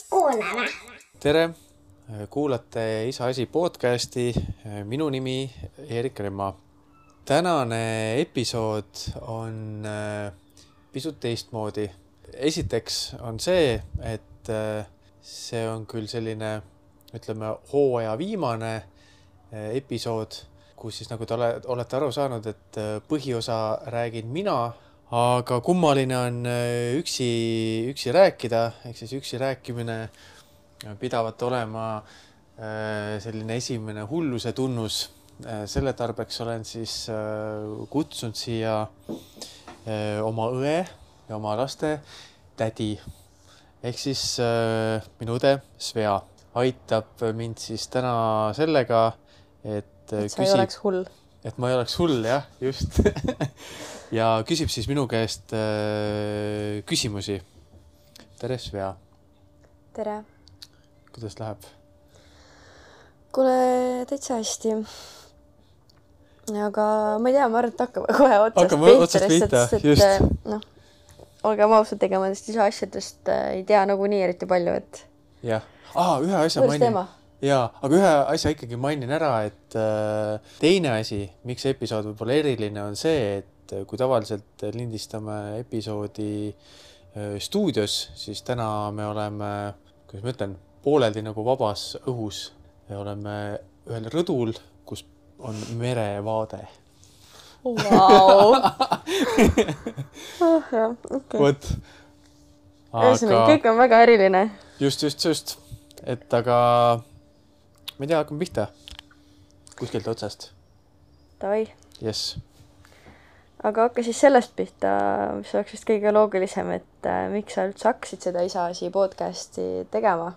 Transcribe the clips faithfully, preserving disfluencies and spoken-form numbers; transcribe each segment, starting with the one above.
Kuulame. Tere, kuulate Isa asi podcasti, minu nimi Erik Remma. Tänane episood on pisut teistmoodi. Esiteks on see, et see on küll selline, ütleme, hooaja viimane episood, kus siis nagu te olete aru saanud, et põhiosa räägin mina, aga kummaline on üksi, üksi rääkida, ehk siis üksi rääkimine pidavat olema selline esimene hulluse tunnus. Selle tarbeks olen siis kutsunud siia oma õe ja oma laste tädi. Ehk siis minu õde Svea aitab mind siis täna sellega, et, et sa küsib, ei oleks hull. Et ma ei oleks hull, jah, just. Ja küsib siis minu käest äh, küsimusi. Tere, Svea. Tere. Kuidas läheb? Kuule, täitsa hästi. Aga ma ei tea, ma arvan, et hakkame kohe otsast hakkame otsast pihta, just. No, olgem ausalt tegema nendest isa asjadest ei tea nagu nii eriti palju, et... Jah. Ah, ühe asja Võrs mainin. teema. Jaa, aga ühe asja ikkagi mainin ära, et äh, teine asi, miks episood võib-olla eriline on see, et kui tavaliselt lindistame episoodi äh, stuudios, siis täna me oleme, kuidas ma ütlen, pooleldi nagu vabas õhus. Me oleme ühel rõdul, kus on merevaade. Vau! oh, jah, okei. Võt. Aga... kõik on väga eriline. Just, just, just. Et aga... Ma ei tea, hakkame pihta. Kuskilt otsast. Tavai. Yes. Aga hakka siis sellest pihta, mis oleks vist kõige loogilisem, et äh, miks sa üldse hakkasid seda Isa asi podcasti tegema?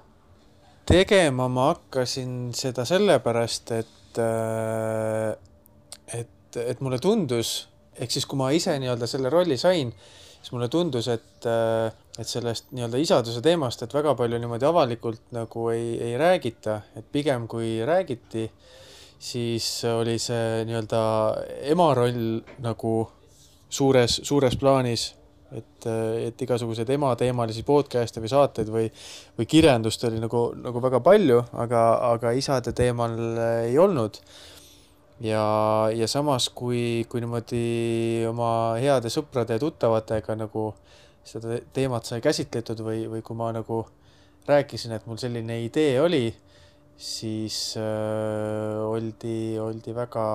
Tegema ma hakkasin seda sellepärast, et, äh, et, et mulle tundus, ehk siis kui ma ise nii-öelda selle rolli sain, siis mulle tundus, et, et sellest nii-öelda isaduse teemast, et väga palju niimoodi avalikult nagu ei, ei räägita, et pigem kui räägiti, siis oli see nii-öelda ema roll nagu suures, suures plaanis, et, et igasugused ema teemalisi podcast'e või saateid või, või kirjandust oli nagu, nagu väga palju, aga, aga isade teemal ei olnud. Ja, ja samas, kui, kui niimoodi oma heade sõprade ja tuttavatega nagu seda teemat sai käsitletud või, või kui ma nagu rääkisin, et mul selline idee oli, siis äh, oldi, oldi väga,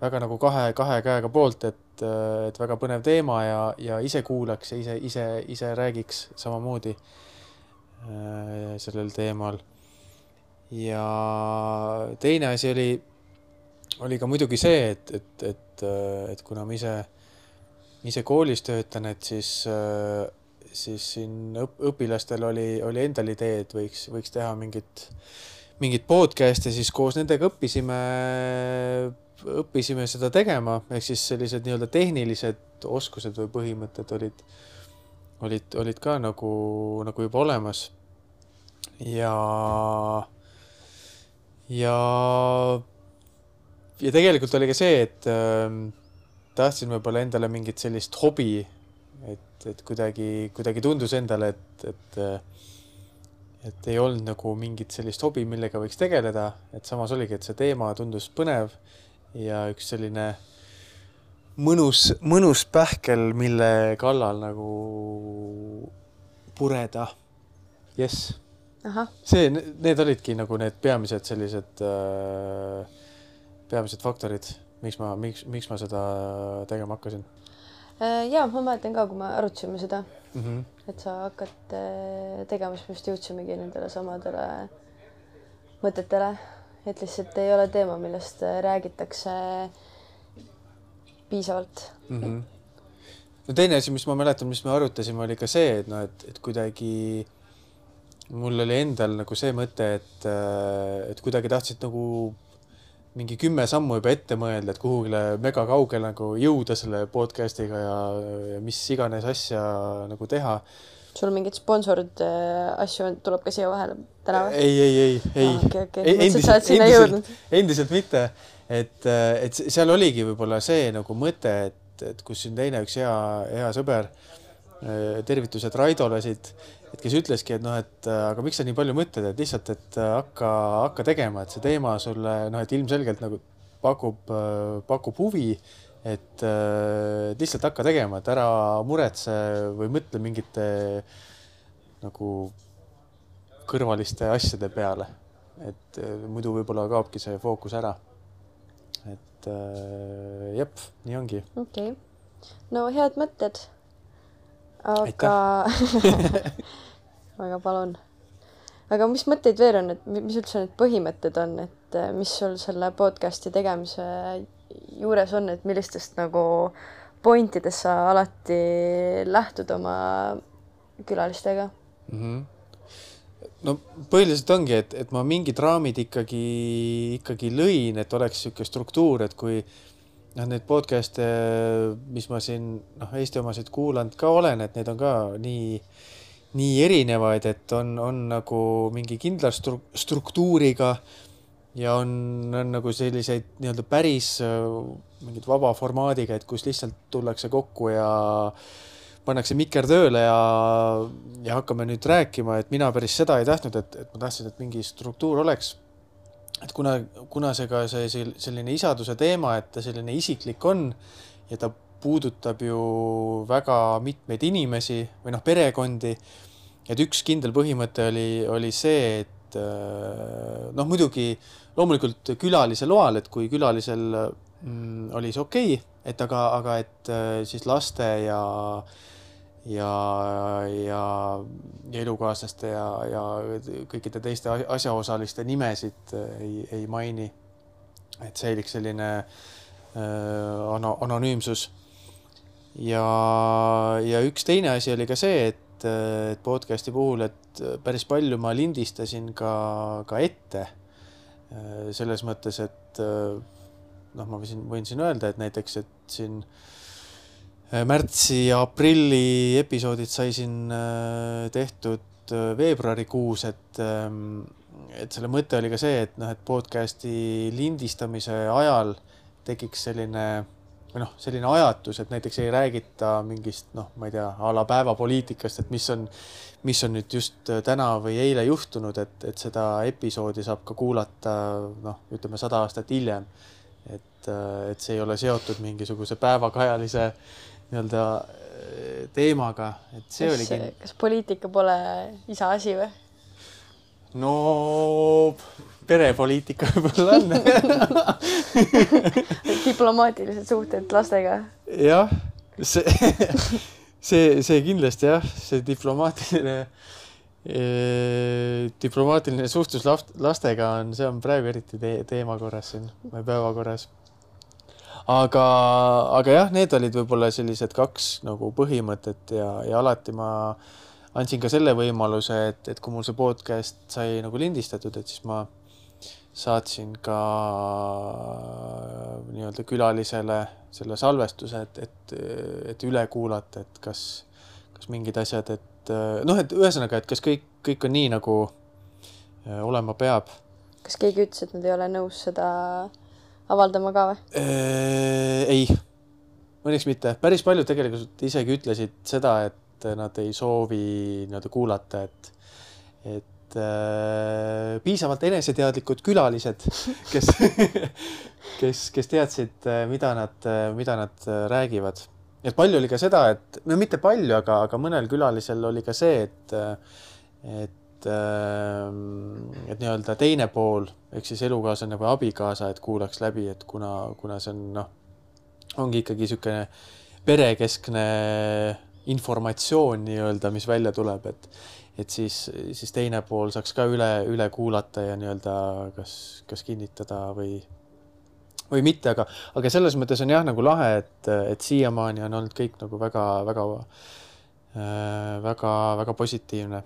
väga nagu kahe, kahe käega poolt, et, et väga põnev teema ja, ja ise kuulaks ja ise, ise, ise räägiks samamoodi äh, sellel teemal. Ja teine asi oli oli ka muidugi see, et, et, et, et kuna ma ise, ise koolis töötan, et siis, siis siin õpilastel oli, oli endal idee, et võiks, võiks teha mingit, mingit podcast'i, siis koos nendega õppisime, õppisime seda tegema, ehk siis sellised nii-öelda tehnilised oskused või põhimõtted olid, olid, olid ka nagu, nagu juba olemas. Ja, ja Ja tegelikult oli ka see, et äh, tahtsin võib-olla endale mingit sellist hobi, et, et kuidagi, kuidagi tundus endale, et, et, et ei olnud nagu mingit sellist hobi, millega võiks tegeleda, et samas oligi, et see teema tundus põnev ja üks selline mõnus, mõnus pähkel, mille kallal nagu pureda. Yes. Aha. See, need olidki nagu need peamised sellised... Äh, peamised faktorid, miks ma, miks, miks ma seda tegema hakkasin? Jaa, ma mäletan ka, kui me arutasime seda, mm -hmm. et sa hakkad tegema, siis me just jõudsimegi nendele samadele mõtetele, et lihtsalt ei ole teema, millest räägitakse piisavalt. Mm -hmm. No teine asi, mis ma mäletan, mis me arutasime, oli ka see, et, no, et, et kuidagi mul oli endal nagu see mõte, et, et kuidagi tahtsid nagu mingi kümme sammu juba ette mõelda, et kuhugile mega kaugel nagu jõuda selle podcastiga ja, ja mis iganes asja nagu teha. Sul mingid sponsorid asju tuleb ka siia vahele täna või? Ei, ei, ei, ei. Ah, okay, okay. Endiselt, endiselt, endiselt mitte. Et, et seal oligi võib-olla see nagu mõte, et, et, et kus siin teine üks hea, hea sõber, tervitused Raidole siit, et kes ütleski, et noh, et aga miks sa nii palju mõtled, et lihtsalt, et hakka, hakka tegema, et see teema sulle, noh, et ilmselgelt nagu pakub, pakub huvi, et lihtsalt hakka tegema, et ära muretse või mõtle mingite nagu kõrvaliste asjade peale, et muidu võib-olla kaobki see fookus ära. Et jep, nii ongi. Okei. Okay. No head mõtted. Aga väga palun. Aga mis mõtteid veel on, et mis üldse need põhimõtted on, et mis sul selle podcasti tegemise juures on, et millistest nagu pointidest sa alati lähtud oma külalistega? Mm-hmm. No põhiliselt ongi, et, et ma mingid raamid ikkagi, ikkagi lõin, et oleks siuke struktuur, et kui noh, need podcast'e, mis ma siin noh, Eesti omasid kuulanud ka olen, et need on ka nii, nii erinevaid, et on, on nagu mingi kindla stru- struktuuriga ja on, on nagu selliseid nii-öelda päris mingid vaba formaadiga, et kus lihtsalt tullakse kokku ja pannakse mikker tööle ja, ja hakkame nüüd rääkima, et mina päris seda ei tahtnud, et, et ma tahtsin, et mingi struktuur oleks. Et kuna, kuna see ka see selline isaduse teema, et ta selline isiklik on ja ta puudutab ju väga mitmeid inimesi või noh, perekondi, et üks kindel põhimõte oli, oli see, et noh, muidugi loomulikult külalise loal, et kui külalisel mm, oli see okei, et aga, aga et siis laste ja ja, ja, ja elukaaslaste ja, ja kõikide teiste asjaosaliste nimesid ei, ei maini, et säiliks selline äh, anonüümsus. Ja, ja üks teine asi oli ka see, et, et podcasti puhul, et päris palju ma lindistasin ka, ka ette selles mõttes, et noh, ma võin, võin siin öelda, et näiteks, et siin märtsi ja aprilli episoodid sai siin tehtud veebruarikuus, et, et selle mõte oli ka see, et noh, et podcasti lindistamise ajal tekiks selline, või noh, selline ajatus, et näiteks ei räägita mingist, noh, ma ei tea, a la päevapoliitikast, et mis on, mis on nüüd just täna või eile juhtunud, et, et seda episoodi saab ka kuulata, noh, ütleme sada aastat hiljem. Et, et see ei ole seotud mingisuguse päevakajalise nii-öelda teemaga, et see kas, oligi... Kas poliitika pole isa asi või? No perepoliitika võib-olla on. Diplomaatilised suhted lastega. Jah, see, see, see kindlasti jah, see diplomaatiline, eh, diplomaatiline suhtlus lastega on, see on praegu eriti te teema korras siin, või päeva korras. Aga, aga jah, need olid võib-olla sellised kaks nagu põhimõtet ja, ja alati ma andsin ka selle võimaluse, et, et kui mul see podcast sai nagu lindistatud, et siis ma saatsin ka nii-öelda külalisele selle salvestuse, et, et, et üle kuulata, et kas, kas mingid asjad, et noh, et ühesõnaga, et kas kõik, kõik on nii, nagu olema peab. Kas keegi ütles, et nad ei ole nõus seda avaldama ka või? Ei, mõneks mitte. Päris paljud tegelikult isegi ütlesid seda, et nad ei soovi nii-öelda kuulata, et, et äh, piisavalt eneseteadlikud külalised, kes, kes, kes teadsid, mida nad, mida nad räägivad. Et palju oli ka seda, et no mitte palju, aga, aga mõnel külalisel oli ka see, et, et et nii-öelda teine pool, ehk siis elukaaslane või abikaasa, et kuulaks läbi, et kuna, kuna see on, noh, ongi ikkagi niisugune perekeskne informatsioon nii-öelda, mis välja tuleb, et, et siis, siis teine pool saaks ka üle, üle kuulata ja nii-öelda kas, kas kinnitada või, või mitte, aga, aga selles mõttes on jah nagu lahe, et, et siiamaani on olnud kõik nagu väga, väga, väga, väga positiivne.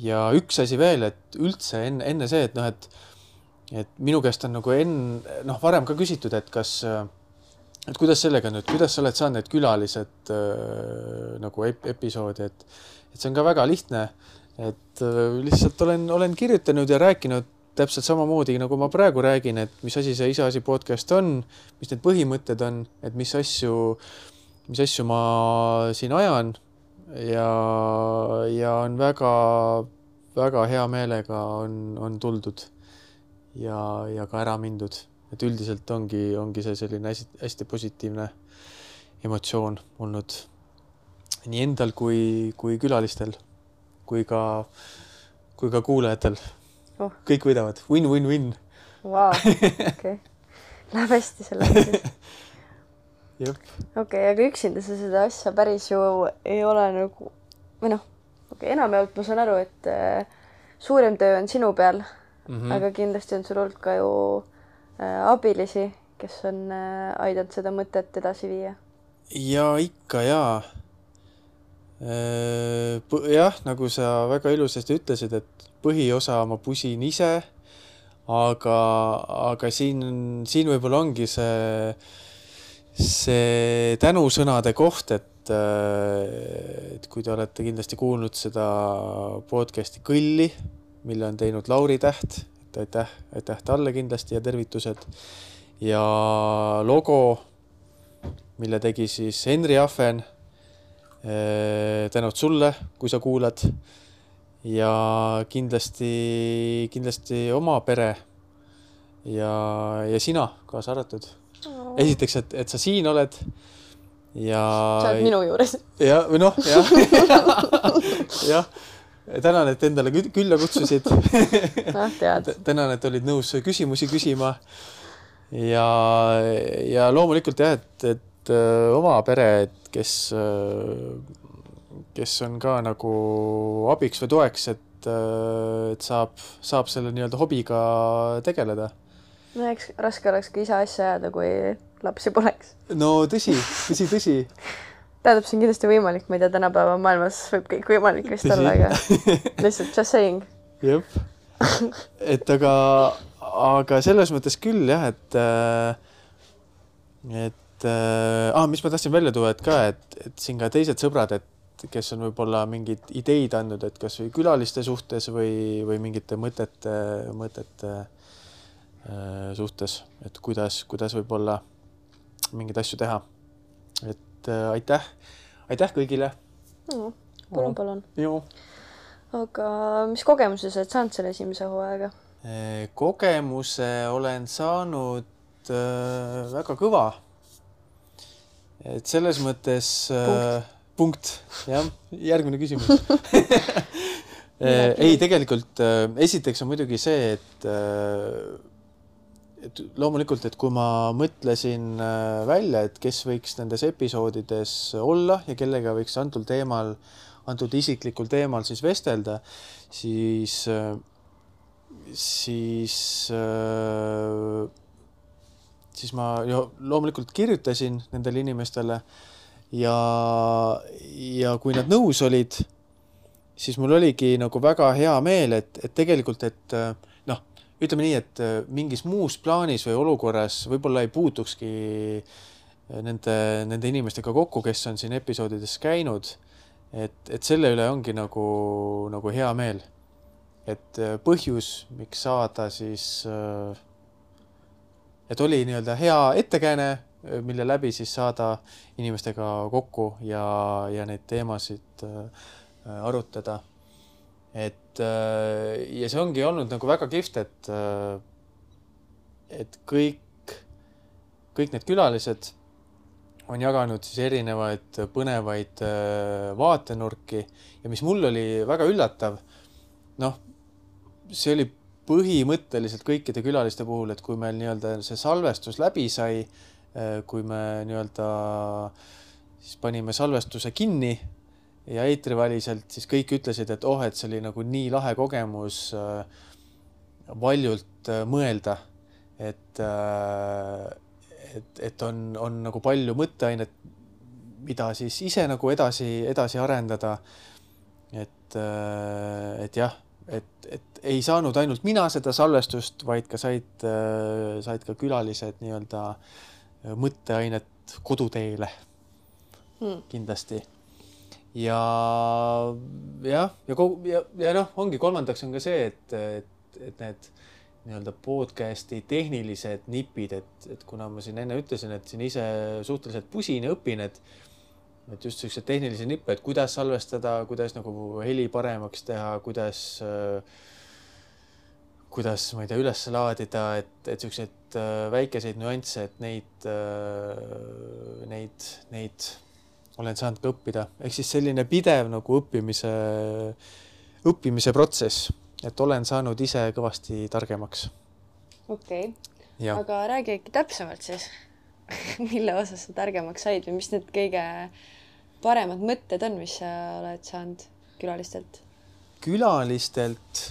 Ja üks asi veel, et üldse enne, enne see, et noh, et, et minu käest on nagu enne, noh, varem ka küsitud, et kas, et kuidas sellega nüüd, kuidas sa oled saanud need külalised äh, nagu ep episoodi, et, et see on ka väga lihtne, et äh, lihtsalt olen, olen kirjutanud ja rääkinud täpselt samamoodi, nagu ma praegu räägin, et mis asi see Iseasi podcast on, mis need põhimõtted on, et mis asju, mis asju ma siin ajan ja, ja on väga, väga hea meelega on, on tuldud ja, ja ka ära mindud. Et üldiselt ongi, ongi see selline hästi, hästi positiivne emotsioon olnud nii endal kui, kui külalistel, kui ka, kui ka kuulajatel. Oh. Kõik võidavad. Win, win, win. Vau, okei. Läheb hästi selle siis. Okei, aga üksinda sa seda asja päris ju ei ole nagu, või noh, okay, enamjaolt ma saan aru, et äh, suurem töö on sinu peal, mm-hmm. aga kindlasti on sul olnud ka ju äh, abilisi, kes on äh, aidanud seda mõtet edasi viia. Ja ikka jaa. Äh, jah, nagu sa väga ilusasti ütlesid, et põhiosa ma pusin ise, aga, aga siin, siin võib-olla ongi see, see tänusõnade koht, et, et kui te olete kindlasti kuulnud seda podcasti Kõlli, mille on teinud Lauri Täht, et aitäh, aitäh talle kindlasti ja tervitused. Ja logo, mille tegi siis Henri Ahven, tänud sulle, kui sa kuulad. Ja kindlasti, kindlasti oma pere ja, ja sina kaasa arvatud. Oh. Esiteks, et, et sa siin oled ja... Sa oled minu juures. Ja, või noh, jah. jah. Tänan, et endale külla kutsusid. No, tead. Tänan, et olid nõus küsimusi küsima. Ja, ja loomulikult jah, et, et oma pere, et kes... kes on ka nagu abiks või toeks, et, et saab, saab selle nii-öelda hobiga tegeleda. No eks raske oleks ka isa asja ajada, kui lapsi poleks. No tõsi, tõsi, tõsi. Tähendab, see on kindlasti võimalik, ma ei tea, tänapäeva maailmas võib kõik võimalik vist tõsi. Olla, aga lihtsalt just saying. Jep. Et aga, aga selles mõttes küll jah, et, et ah, mis ma tahtsin välja tuua, et ka, et, et siin ka teised sõbrad, et kes on võib-olla mingid ideid andnud, et kas või külaliste suhtes või, või mingite mõtete, mõtete äh, suhtes, et kuidas, kuidas võib-olla mingeid asju teha. Et äh, aitäh, aitäh kõigile. No, palun, palun. Joo. Aga mis kogemuse sa oled saanud selle esimese hooaega? Kogemuse olen saanud äh, väga kõva. Et selles mõttes... Punkt. Punkt, jah, järgmine küsimus. Ei, tegelikult esiteks on muidugi see, et, et loomulikult, et kui ma mõtlesin välja, et kes võiks nendes episoodides olla ja kellega võiks antud teemal, antud isiklikul teemal siis vestelda, siis, siis, siis ma jo, loomulikult kirjutasin nendele inimestele. Ja, ja kui nad nõus olid, siis mul oligi nagu väga hea meel, et, et tegelikult, et noh, ütleme nii, et mingis muus plaanis või olukorras võib-olla ei puutukski nende, nende inimestega kokku, kes on siin episoodides käinud, et, et selle üle ongi nagu, nagu hea meel. Et põhjus, miks saada siis, et oli nii-öelda hea ettekääne, mille läbi siis saada inimestega kokku ja, ja neid teemasid äh, arutada. Et, äh, ja see ongi olnud nagu väga kihvt, et, äh, et kõik, kõik need külalised on jaganud siis erinevaid põnevaid äh, vaatenurki ja mis mul oli väga üllatav, noh, see oli põhimõtteliselt kõikide külaliste puhul, et kui meil nii-öelda see salvestus läbi sai, kui me nii-öelda siis panime salvestuse kinni ja eetriväliselt, siis kõik ütlesid, et oh, et see oli nagu nii lahe kogemus valjult mõelda, et, et, et on, on nagu palju mõtteainet, mida siis ise nagu edasi, edasi arendada. Et, et jah, et, et ei saanud ainult mina seda salvestust, vaid ka said, said ka külalised nii-öelda mõtteainet koduteele hmm. kindlasti. Ja, ja, ja, ja, ja noh, ongi kolmandaks on ka see, et, et, et need nii-öelda podcasti tehnilised nipid, et, et kuna ma siin enne ütlesin, et siin ise suhteliselt pusin ja õpin, et, et just sellised tehnilisi nippe, et kuidas salvestada, kuidas nagu heli paremaks teha, kuidas, kuidas, ma ei tea, üles laadida, et, et sellised väikeseid nüansse, et neid, neid, neid olen saanud ka õppida. Ehk siis selline pidev nagu õppimise, õppimise protsess, et olen saanud ise kõvasti targemaks. Okei, okay. Aga räägi äkki täpsemalt siis, mille osas sa targemaks said või mis need kõige paremad mõtted on, mis sa oled saanud külalistelt? Külalistelt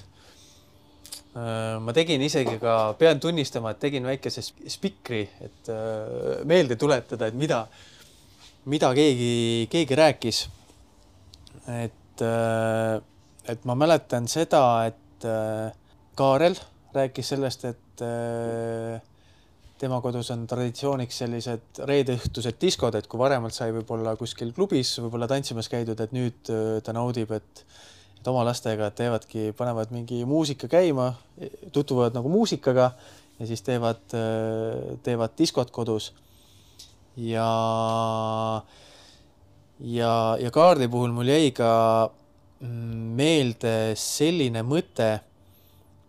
ma tegin isegi ka, pean tunnistama, et tegin väikese spikri, et meelde tuletada, et mida, mida keegi, keegi rääkis. Et, et ma mäletan seda, et Kaarel rääkis sellest, et tema kodus on traditsiooniks sellised reedeõhtused diskod, et kui varemalt sai võib-olla kuskil klubis võib-olla tantsimas käidud, et nüüd ta naudib, et et oma lastega teevadki, panevad mingi muusika käima, tutvuvad nagu muusikaga ja siis teevad, teevad diskot kodus. Ja, ja, ja Kaarli puhul mul jäi ka meelde selline mõte,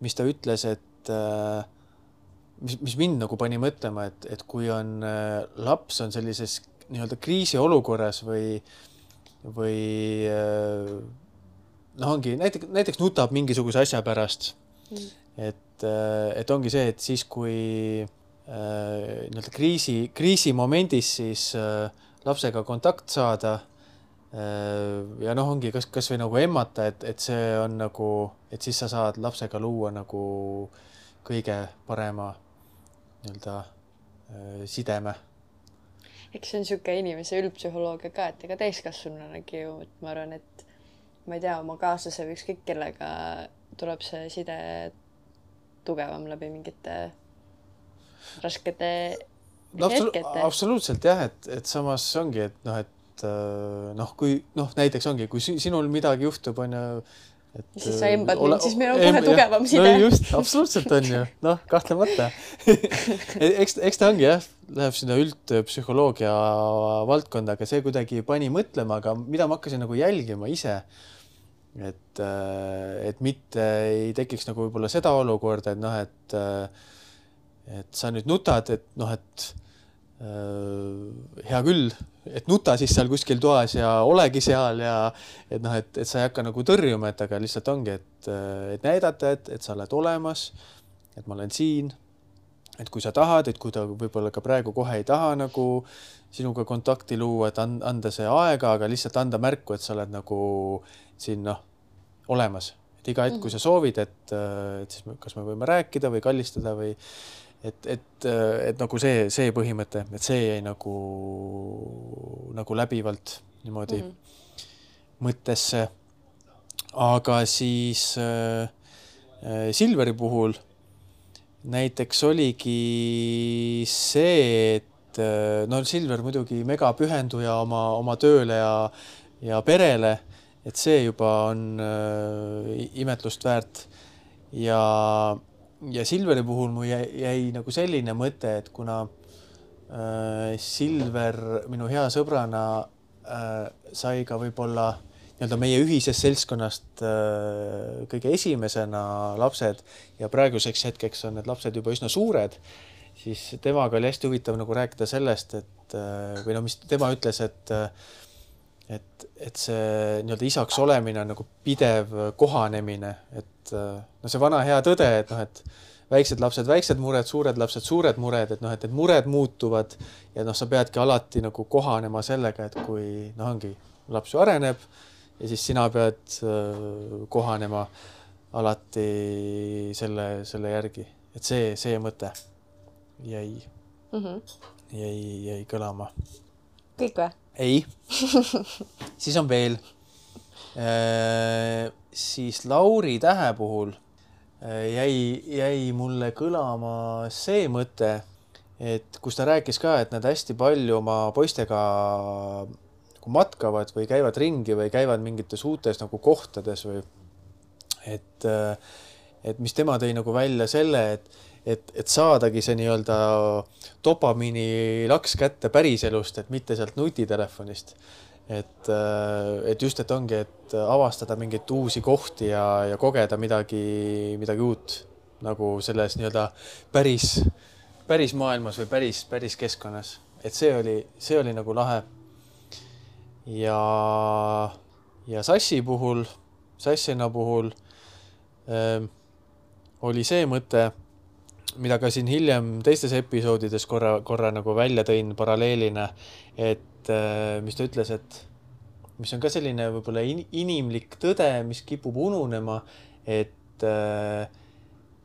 mis ta ütles, et mis, mis mind nagu pani mõtlema, et, et kui on laps on sellises nii-öelda kriisiolukorras või, või noh, ongi näiteks, näiteks nutab mingisuguse asja pärast. Mm. Et, et ongi see, et siis kui äh, nii-öelda kriisi, kriisi momendis siis äh, lapsega kontakt saada äh, ja noh, ongi kas, kas või nagu emmata, et, et see on nagu, et siis sa saad lapsega luua nagu kõige parema nii-öelda äh, sideme. Eks see on siuke inimese üldpsühholoogia ka, et ega täiskasvanunagi ju, et ma arvan, et ma ei tea, oma kaaslase või ükskõik kellega tuleb see side tugevam läbi mingite raskete no, hetkete. Absoluutselt jah, et, et samas ongi, et noh, et noh, kui noh, näiteks ongi, kui sinul midagi juhtub, on ju, et siis sa embad ole, mind, siis meil on kohe tugevam side. No just, absoluutselt on ju, noh, kahtlemata. eks, eks ta ongi jah, läheb sinna üldpsühholoogia valdkonda, aga see kuidagi pani mõtlema, aga mida ma hakkasin nagu jälgima ise, et, et mitte ei tekiks nagu võib-olla seda olukorda, et noh, et, et sa nüüd nutad, et noh, et hea küll, et nuta siis seal kuskil toas ja olegi seal ja et noh, et, et sa ei hakka nagu tõrjuma, et aga lihtsalt ongi, et, et näidata, et, et sa oled olemas, et ma olen siin, et kui sa tahad, et kui ta võib-olla ka praegu kohe ei taha nagu sinuga kontakti luua, et anda see aega, aga lihtsalt anda märku, et sa oled nagu siin noh, olemas. Et iga hetk, kui sa soovid, et, et siis kas me võime rääkida või kallistada või et, et, et nagu see, see põhimõte, et see jäi nagu, nagu läbivalt niimoodi mm -hmm. mõttesse. Aga siis äh, Silveri puhul näiteks oligi see, et no Silver muidugi mega pühenduja oma, oma tööle ja, ja perele, et see juba on äh, imetlust väärt. Ja, ja Silveri puhul mu jäi, jäi nagu selline mõte, et kuna äh, Silver minu hea sõbrana äh, sai ka võib-olla nii-öelda meie ühisest seltskonnast äh, kõige esimesena lapsed ja praeguseks hetkeks on need lapsed juba üsna suured, siis temaga oli hästi huvitav nagu rääkida sellest, et või no mis tema ütles, et et, et see nii-öelda isaks olemine on nagu pidev kohanemine, et no see vana hea tõde, et noh, et väiksed lapsed, väiksed mured, suured lapsed, suured mured, et noh, et need mured muutuvad ja noh, sa peadki alati nagu kohanema sellega, et kui noh, ongi laps ju areneb ja siis sina pead kohanema alati selle, selle järgi, et see, see mõte jäi, mm -hmm. jäi, jäi kõlama. Kõik või? Ei. Siis on veel. Äh, siis Lauri Tähe puhul jäi, jäi mulle kõlama see mõte, et kus ta rääkis ka, et nad hästi palju oma poistega matkavad või käivad ringi või käivad mingites uutes nagu kohtades või et et mis tema tõi nagu välja selle, et, et, et saadagi see nii-öelda dopamiini laks kätte päriselust, et mitte sealt nutitelefonist. Et, et just, et ongi, et avastada mingeid uusi kohti ja, ja kogeda midagi, midagi uut nagu selles nii-öelda päris, päris maailmas või päris, päris keskkonnas. Et see oli, see oli nagu lahe. Ja, ja Sassi puhul, Sassina puhul äh, oli see mõte, mida ka siin hiljem teistes episoodides korra, korra nagu välja tõin paralleelina, et mis ta ütles, et mis on ka selline võib-olla inimlik tõde, mis kipub ununema, et,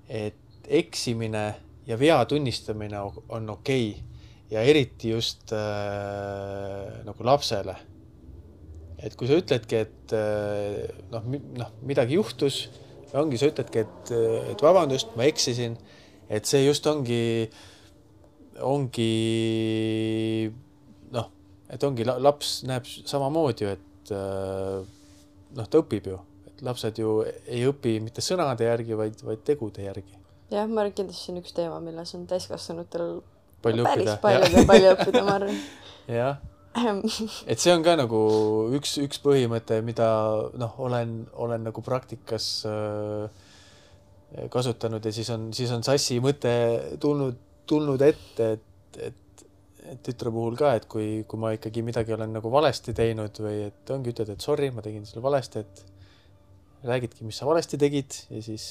et eksimine ja vea tunnistamine on okei ja eriti just äh, nagu lapsele. Et kui sa ütledki, et noh, noh, midagi juhtus, ongi, sa ütledki, et, et vabandust, ma eksisin, et see just ongi, ongi noh, et ongi, laps näeb samamoodi ju, et noh, ta õpib ju, et lapsed ju ei õpi mitte sõnade järgi, vaid, vaid tegude järgi. Jah, ma arvan, kindlasti on üks teema, milles on täiskasvanutel palju päris õppida. palju ja palju õppida, ma arvan. Jah, et see on ka nagu üks, üks põhimõte, mida noh, olen, olen nagu praktikas äh, kasutanud ja siis on, siis on Sassi mõte tulnud, tulnud ette, et, et et tütre puhul ka, et kui, kui ma ikkagi midagi olen nagu valesti teinud või et ongi ütled, et sorry, ma tegin selle valesti, et räägidki, mis sa valesti tegid ja siis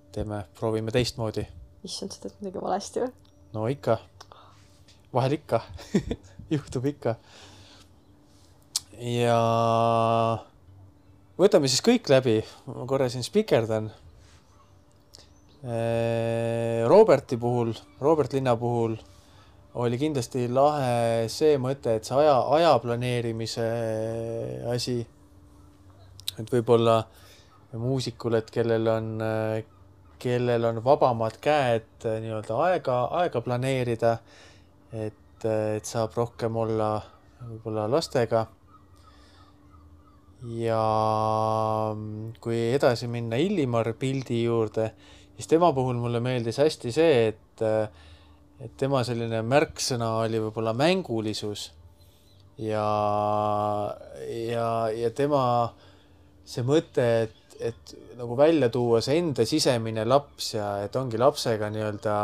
teeme, proovime teistmoodi. Issand, sa teed midagi valesti või? No ikka. Vahel ikka. Juhtub ikka. Ja võtame siis kõik läbi. Ma korra siin spikerdan. Roberti puhul, Robert Linna puhul oli kindlasti lahe see mõte, et see aja, aja planeerimise asi, et võib-olla muusikul, et kellel on, kellel on vabamad käed nii-öelda aega, aega planeerida, et, et saab rohkem olla võib-olla lastega. Ja kui edasi minna Illimar pildi juurde, siis tema puhul mulle meeldis hästi see, et et tema selline märksõna oli võib-olla mängulisus ja, ja, ja tema see mõte, et, et nagu välja tuua see enda sisemine laps ja et ongi lapsega nii-öelda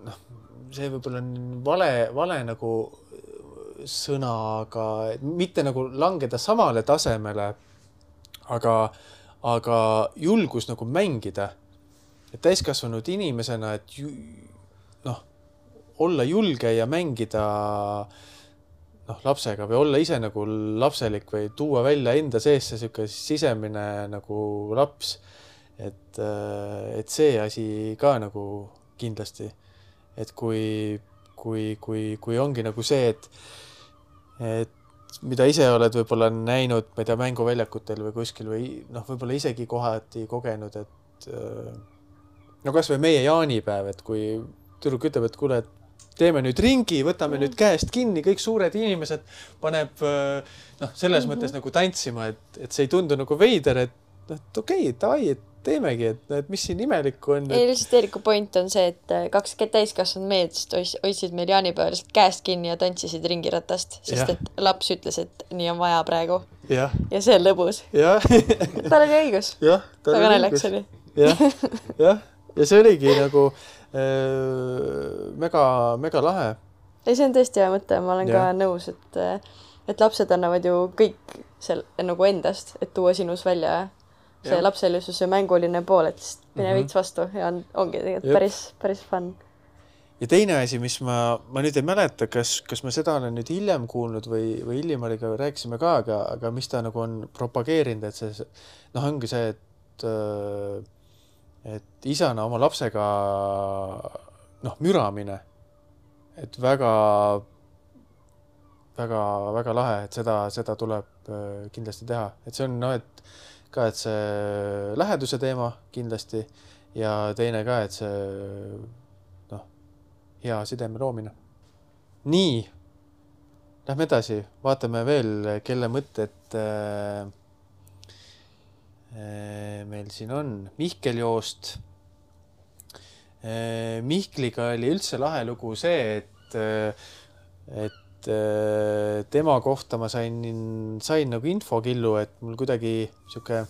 noh, see võib-olla on vale, vale nagu sõna, aga mitte nagu langeda samale tasemele, aga, aga julgus nagu mängida. Et täiskasvanud inimesena, et ju, noh, olla julge ja mängida noh, lapsega või olla ise nagu lapselik või tuua välja enda sees see siuke sisemine nagu laps. Et, et see asi ka nagu kindlasti, et kui, kui, kui, kui ongi nagu see, et, et mida ise oled võib-olla näinud, ma ei tea, mänguväljakutel või kuskil või noh, võib-olla isegi kohati kogenud, et no kas või meie jaanipäev, et kui tüdruk ütleb, et kuule, teeme nüüd ringi, võtame nüüd käest kinni, kõik suured inimesed paneb noh, selles mm-hmm. mõttes nagu tantsima, et, et see ei tundu nagu veider, et, et okei, okay, davai, et teemegi, et, et mis siin imelikku on. Ei, lihtsalt Eeriku point on see, et kaks täiskasvanud meest hoidsid meil jaanipäeval käest kinni ja tantsisid ringiratast, sest ja. Et laps ütles, et nii on vaja praegu. Ja, ja see on lõbus. Tal oli õigus. Väga naljakas oli. Jah, jah. Ja see oligi nagu äh, mega, mega lahe. Ei, see on tõesti hea mõte, ma olen ja. Ka nõus, et, et lapsed annavad ju kõik seal nagu endast, et tuua sinus välja see ja. Lapselisus ja mänguline pool, et mine mm-hmm. veits vastu ja on, ongi tegelikult päris, päris fun. Ja teine asi, mis ma, ma nüüd ei mäleta, kas, kas ma seda olen nüüd hiljem kuulnud või, või Illimariga rääkisime ka, aga, aga mis ta nagu on propageerinud, et see, noh, ongi see, et et isana oma lapsega noh, müramine, et väga väga, väga lahe, et seda, seda tuleb kindlasti teha, et see on noh, et ka, et see läheduse teema kindlasti ja teine ka, et see noh, hea sideme loomine. Nii, lähme edasi, vaatame veel, kelle mõtted meil siin on Mihkel Joost. Mihkliga oli üldse lahe lugu see, et, et tema kohta ma sain, sain nagu infokillu, et mul kuidagi siuke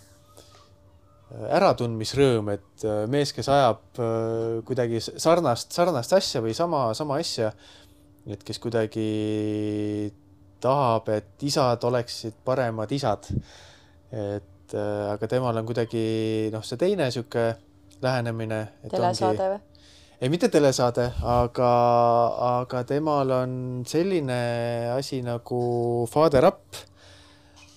äratundmisrõõm, et mees, kes ajab kuidagi sarnast, sarnast asja või sama, sama asja, et kes kuidagi tahab, et isad oleksid paremad isad. Et aga temal on kuidagi noh, see teine siuke lähenemine. Telesaade või? Ei, mitte telesaade, aga, aga temal on selline asi nagu Father Up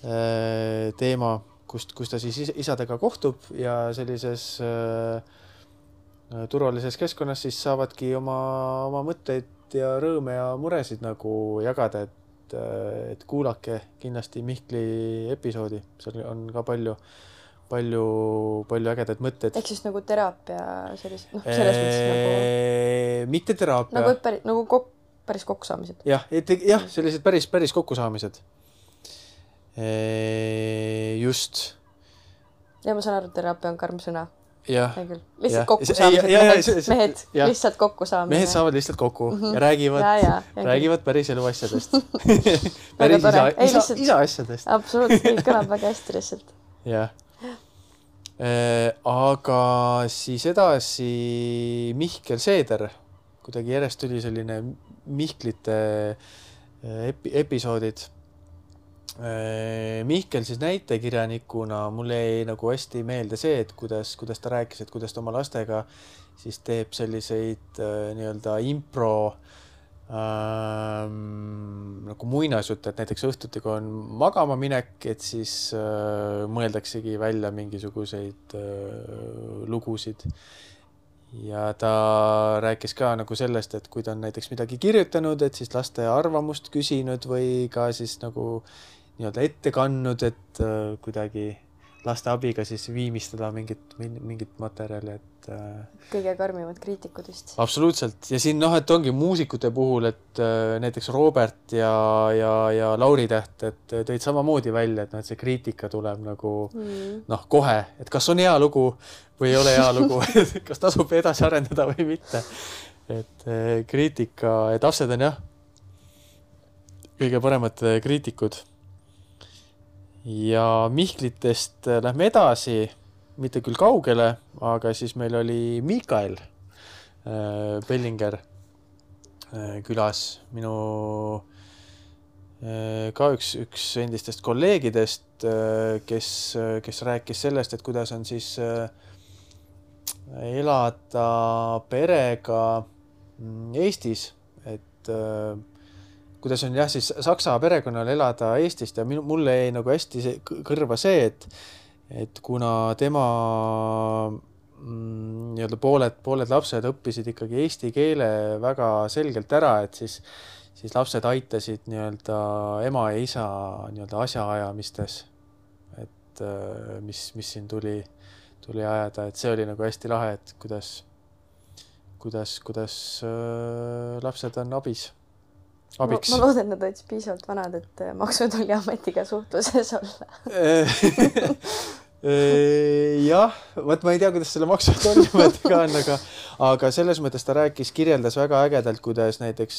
teema, kust, kus ta siis isadega kohtub ja sellises äh, turvalises keskkonnas siis saavadki oma, oma mõtteid ja rõõme ja muresid nagu jagada, et et kuulake kindlasti Mihkli episoodi, seal on ka palju, palju, palju ägedaid mõtteid. Ehk siis nagu teraapia sellist, noh, selles mõttes nagu... Mitte teraapia. Nagu, päris, nagu kok, päris kokkusaamised. Jah, et, jah, sellised päris, päris kokkusaamised. Just. Ja ma saan aru, teraapia on karm sõna. Ja, lihtsalt kokkusaamised, mehed, mehed ja. lihtsalt kokkusaamised. Mehed saavad lihtsalt kokku mm -hmm. ja räägivad, ja, ja, ja, räägivad päris elu asjadest. päris isa, Ei, isa, lihtsalt, isa asjadest. Absoluutselt, kõlab väga hästi lihtsalt. Jah. Äh, aga siis edasi Mihkel Seeder, kuidagi järjest tuli selline Mihklite epi, episoodid. Mihkel siis näitekirjanikuna mulle jäi nagu hästi meelde see, et kuidas, kuidas ta rääkis, et kuidas ta oma lastega siis teeb selliseid äh, nii-öelda impro ähm, nagu muinasjutte, et näiteks õhtuti, kui on magama minek, et siis äh, mõeldaksegi välja mingisuguseid äh, lugusid. Ja ta rääkis ka nagu sellest, et kui ta on näiteks midagi kirjutanud, et siis laste arvamust küsinud või ka siis nagu nii-öelda ette kannud, et äh, kuidagi laste abiga siis viimistada mingit, mingit materjali, et äh, kõige karmimad kriitikud vist. Absoluutselt. Ja siin noh, et ongi muusikute puhul, et äh, näiteks Robert ja, ja, ja Lauri Täht, et tõid samamoodi välja, et, no, et see kriitika tuleb nagu mm. noh, kohe, et kas on hea lugu või ei ole hea lugu, kas tasub edasi arendada või mitte. Et äh, kriitika, et lapsed on jah kõige paremad kriitikud. Ja Mihklitest lähme edasi, mitte küll kaugele, aga siis meil oli Mikael äh, Bellinger äh, külas, minu äh, ka üks, üks endistest kolleegidest, äh, kes, kes rääkis sellest, et kuidas on siis äh, elada perega Eestis, et äh, kuidas on jah, siis saksa perekonnal elada Eestist ja minu, mulle jäi nagu hästi see, kõrva see, et, et kuna tema mm, nii-öelda pooled, pooled lapsed õppisid ikkagi eesti keele väga selgelt ära, et siis, siis lapsed aitasid nii-öelda ema ja isa nii-öelda asjaajamistes, et mis, mis siin tuli, tuli ajada, et see oli nagu hästi lahe, et kuidas, kuidas, kuidas äh, lapsed on abis. Abiks. Ma, ma loodan, et nad olid piisavalt vanad, et Maksu- ja Tolliametiga suhtluses olla. Jah, võt ma ei tea, kuidas selle Maksu- ja Tolliametiga on, aga, aga selles mõttes ta rääkis, kirjeldas väga ägedalt, kuidas näiteks,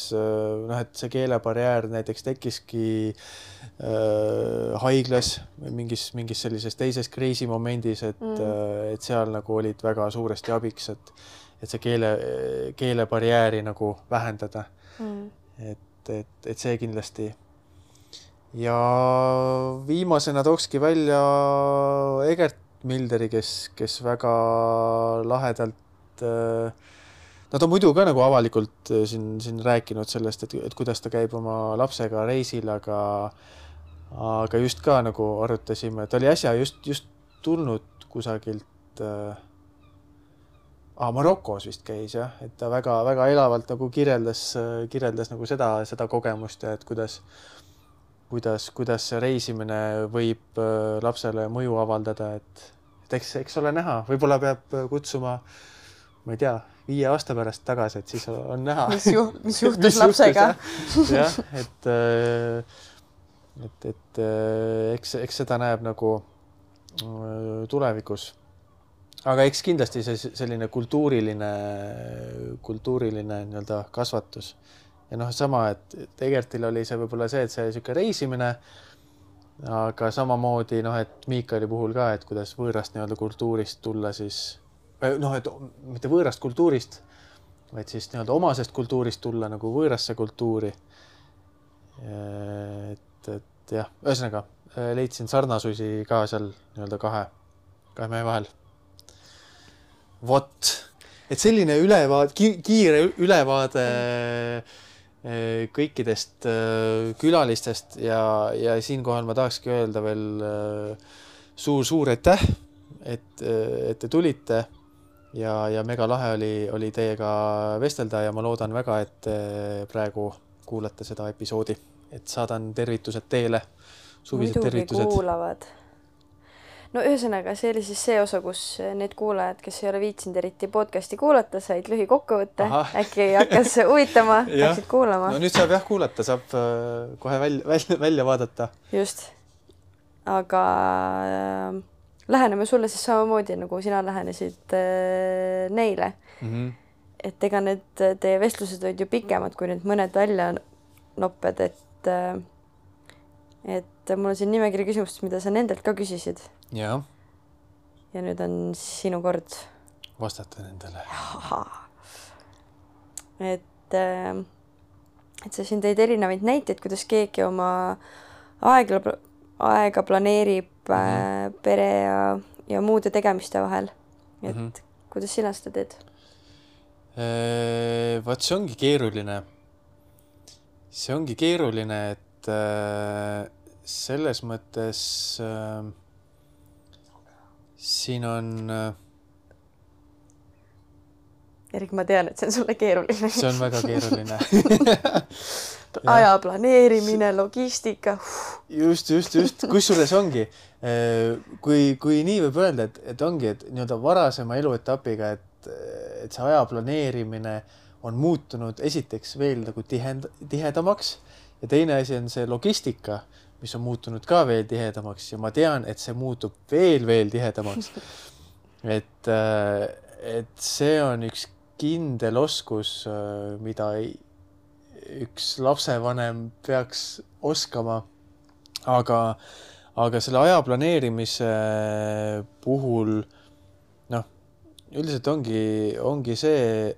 noh, et see keelebarjäär näiteks tekkiski äh, haiglas mingis, mingis sellises teises kriisimomendis, et, mm. et seal nagu olid väga suuresti abiks, et, et see keele, keelebarjääri nagu vähendada. Mm. Et Et, et see kindlasti. Ja viimasena tookski välja Egert Milderi, kes, kes väga lahedalt, no ta muidu ka nagu avalikult siin, siin rääkinud sellest, et, et kuidas ta käib oma lapsega reisil, aga, aga just ka nagu arutasime, et oli äsja just, just tulnud kusagilt Ah, Marokos vist käis jah, et ta väga, väga elavalt nagu kirjeldas, kirjeldas nagu seda, seda kogemust ja et kuidas, kuidas, kuidas see reisimine võib lapsele mõju avaldada, et, et eks, eks ole näha, võib-olla peab kutsuma, ma ei tea, viie aasta pärast tagasi, et siis on näha. Mis, ju, mis juhtus mis lapsega. Juhtus, jah, et, et, et eks, eks seda näeb nagu tulevikus. Aga eks kindlasti see selline kultuuriline, kultuuriline nii-öelda kasvatus. Ja noh, sama, et Egertil oli see võib-olla see, et see siuke reisimine, aga samamoodi, noh, et Miikali puhul ka, et kuidas võõrast nii-öelda kultuurist tulla siis, noh, et mitte võõrast kultuurist, vaid siis nii-öelda omasest kultuurist tulla nagu võõrasse kultuuri. Et, et jah, ühesõnaga leidsin sarnasusi ka seal nii-öelda kahe, kahe mehe vahel. Vot, et selline ülevaade, kiire ülevaade kõikidest külalistest ja, ja siinkohal ma tahakski öelda veel suur-suur aitäh, et, et te tulite ja, ja mega lahe oli, oli teiega vestelda ja ma loodan väga, et praegu kuulate seda episoodi, et saadan tervitused teele, suvised Muidugi tervitused. Kuulavad. No ühesõnaga, see oli siis see osa, kus need kuulajad, kes ei ole viitsinud eriti podcasti kuulata, said lühi kokkuvõtte. Äkki hakkas huvitama, läksid kuulama. No nüüd saab jah kuulata, saab kohe välja, välja, välja vaadata. Just. Aga äh, läheneme sulle siis samamoodi, nagu sina lähenesid äh, neile. Mm-hmm. Et ega need teie vestlused olid ju pikemad, kui need mõned välja nopped, et äh, et mul on siin nimekiri küsimust, mida sa nendelt ka küsisid. Ja. Ja nüüd on sinu kord vastata nendele. Et, et sa siin teid erinevaid näiteid, kuidas keegi oma aega, aega planeerib mm-hmm. pere ja, ja muude tegemiste vahel. Et mm-hmm. kuidas sina seda teed? Eee, vaat see ongi keeruline. See ongi keeruline, et äh, selles mõttes äh, siin on... Erik, ma tean, et see on sulle keeruline. See on väga keeruline. Aja planeerimine, logistika. Just, just, just. Kusjuures ongi, kui, kui nii võib öelda, et, et ongi, et nii-öelda varasema eluetapiga, et, et see aja planeerimine on muutunud esiteks veel nagu tihend, tihedamaks ja teine asi on see logistika, mis on muutunud ka veel tihedamaks ja ma tean, et see muutub veel, veel tihedamaks. Et, et see on üks kindel oskus, mida üks lapsevanem peaks oskama. Aga, aga selle aja planeerimise puhul, noh, üldiselt ongi, ongi see,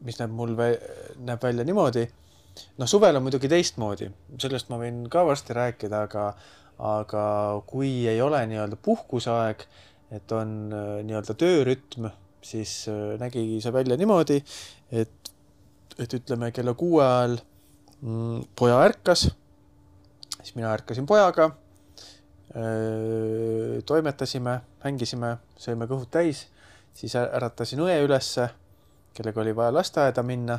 mis näeb mul vä näeb välja niimoodi. No suvel on muidugi teistmoodi, sellest ma võin ka varsti rääkida, aga, aga kui ei ole nii-öelda puhkusaeg, et on nii-öelda töörütm, siis nägi see välja niimoodi, et, et ütleme kella kuue ajal mm, poja ärkas, siis mina ärkasin pojaga, öö, toimetasime, hängisime, sõime kõhud täis, siis äratasin õe ülesse, kellega oli vaja lasteaeda minna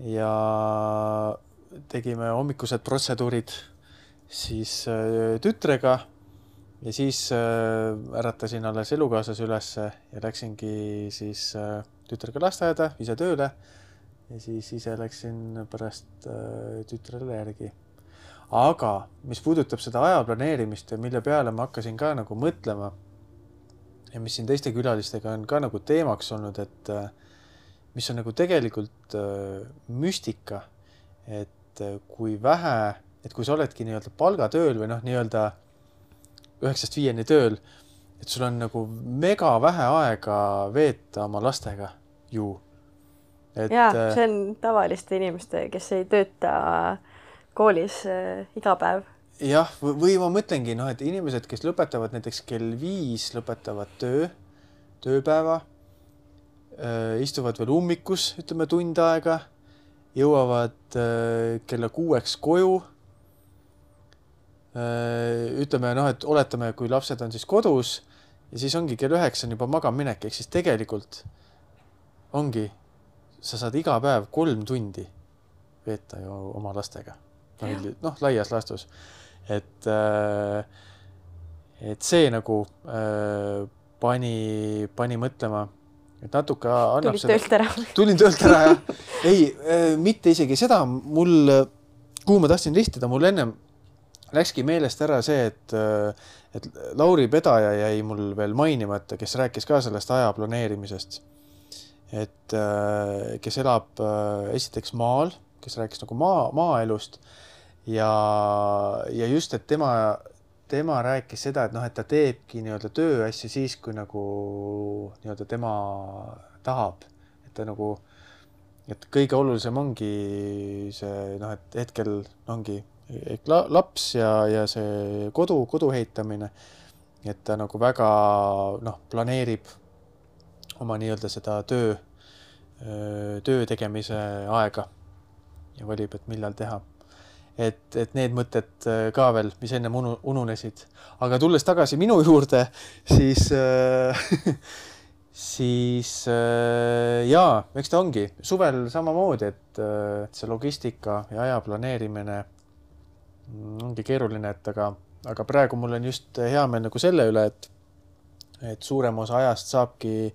ja tegime hommikused protseduurid siis äh, tütrega ja siis äh, äratasin alles elukaaslase ülesse ja läksingi siis äh, tütrega lasteaeda, ise tööle ja siis ise läksin pärast äh, tütrele järgi. Aga mis puudutab seda aja planeerimist ja mille peale ma hakkasin ka nagu mõtlema ja mis siin teiste külalistega on ka nagu teemaks olnud, et äh, mis on nagu tegelikult äh, müstika, et äh, kui vähe, et kui sa oledki nii-öelda palgatööl või noh, nii-öelda üheksast viieni tööl, et sul on nagu mega vähe aega veeta oma lastega ju. Et, ja, see on tavaliste inimeste, kes ei tööta koolis äh, iga päev. Jah, või ma mõtlengi, noh, et inimesed, kes lõpetavad näiteks kell viis, lõpetavad töö, tööpäeva, istuvad veel ummikus, ütleme tund aega, jõuavad kella kuueks koju. Ütleme, noh, et oletame, kui lapsed on siis kodus ja siis ongi kell üheksa on juba magaminek, ehk siis tegelikult ongi, sa saad iga päev kolm tundi veeta ju oma lastega. No, noh, laias laastus. Et, et see nagu pani, pani mõtlema, et natuke annab Tulid töölt ära. Tulin töölt ära, jah. Ei, mitte isegi seda, mul, kuhu ma tahtsin lihtida, mul ennem läkski meelest ära see, et, et Lauri Pedaja jäi mul veel mainimata, kes rääkis ka sellest aja planeerimisest. Et kes elab esiteks maal, kes rääkis nagu maa, maaelust ja, ja just, et tema, tema rääkis seda, et noh, et ta teebki nii-öelda tööasju siis, kui nagu nii-öelda tema tahab. Et ta nagu, et kõige olulisem ongi see, noh, et hetkel ongi laps ja, ja see kodu, kodu heitamine, et ta nagu väga, noh, planeerib oma nii-öelda seda töö, töö tegemise aega ja valib, et millal teha. Et, et need mõtted ka veel, mis enne ununesid. Aga tulles tagasi minu juurde, siis, siis jaa, eks ta ongi suvel samamoodi, et see logistika ja aja planeerimine ongi keeruline, et aga, aga praegu mul on just hea meel nagu selle üle, et, et suurem osa ajast saabki,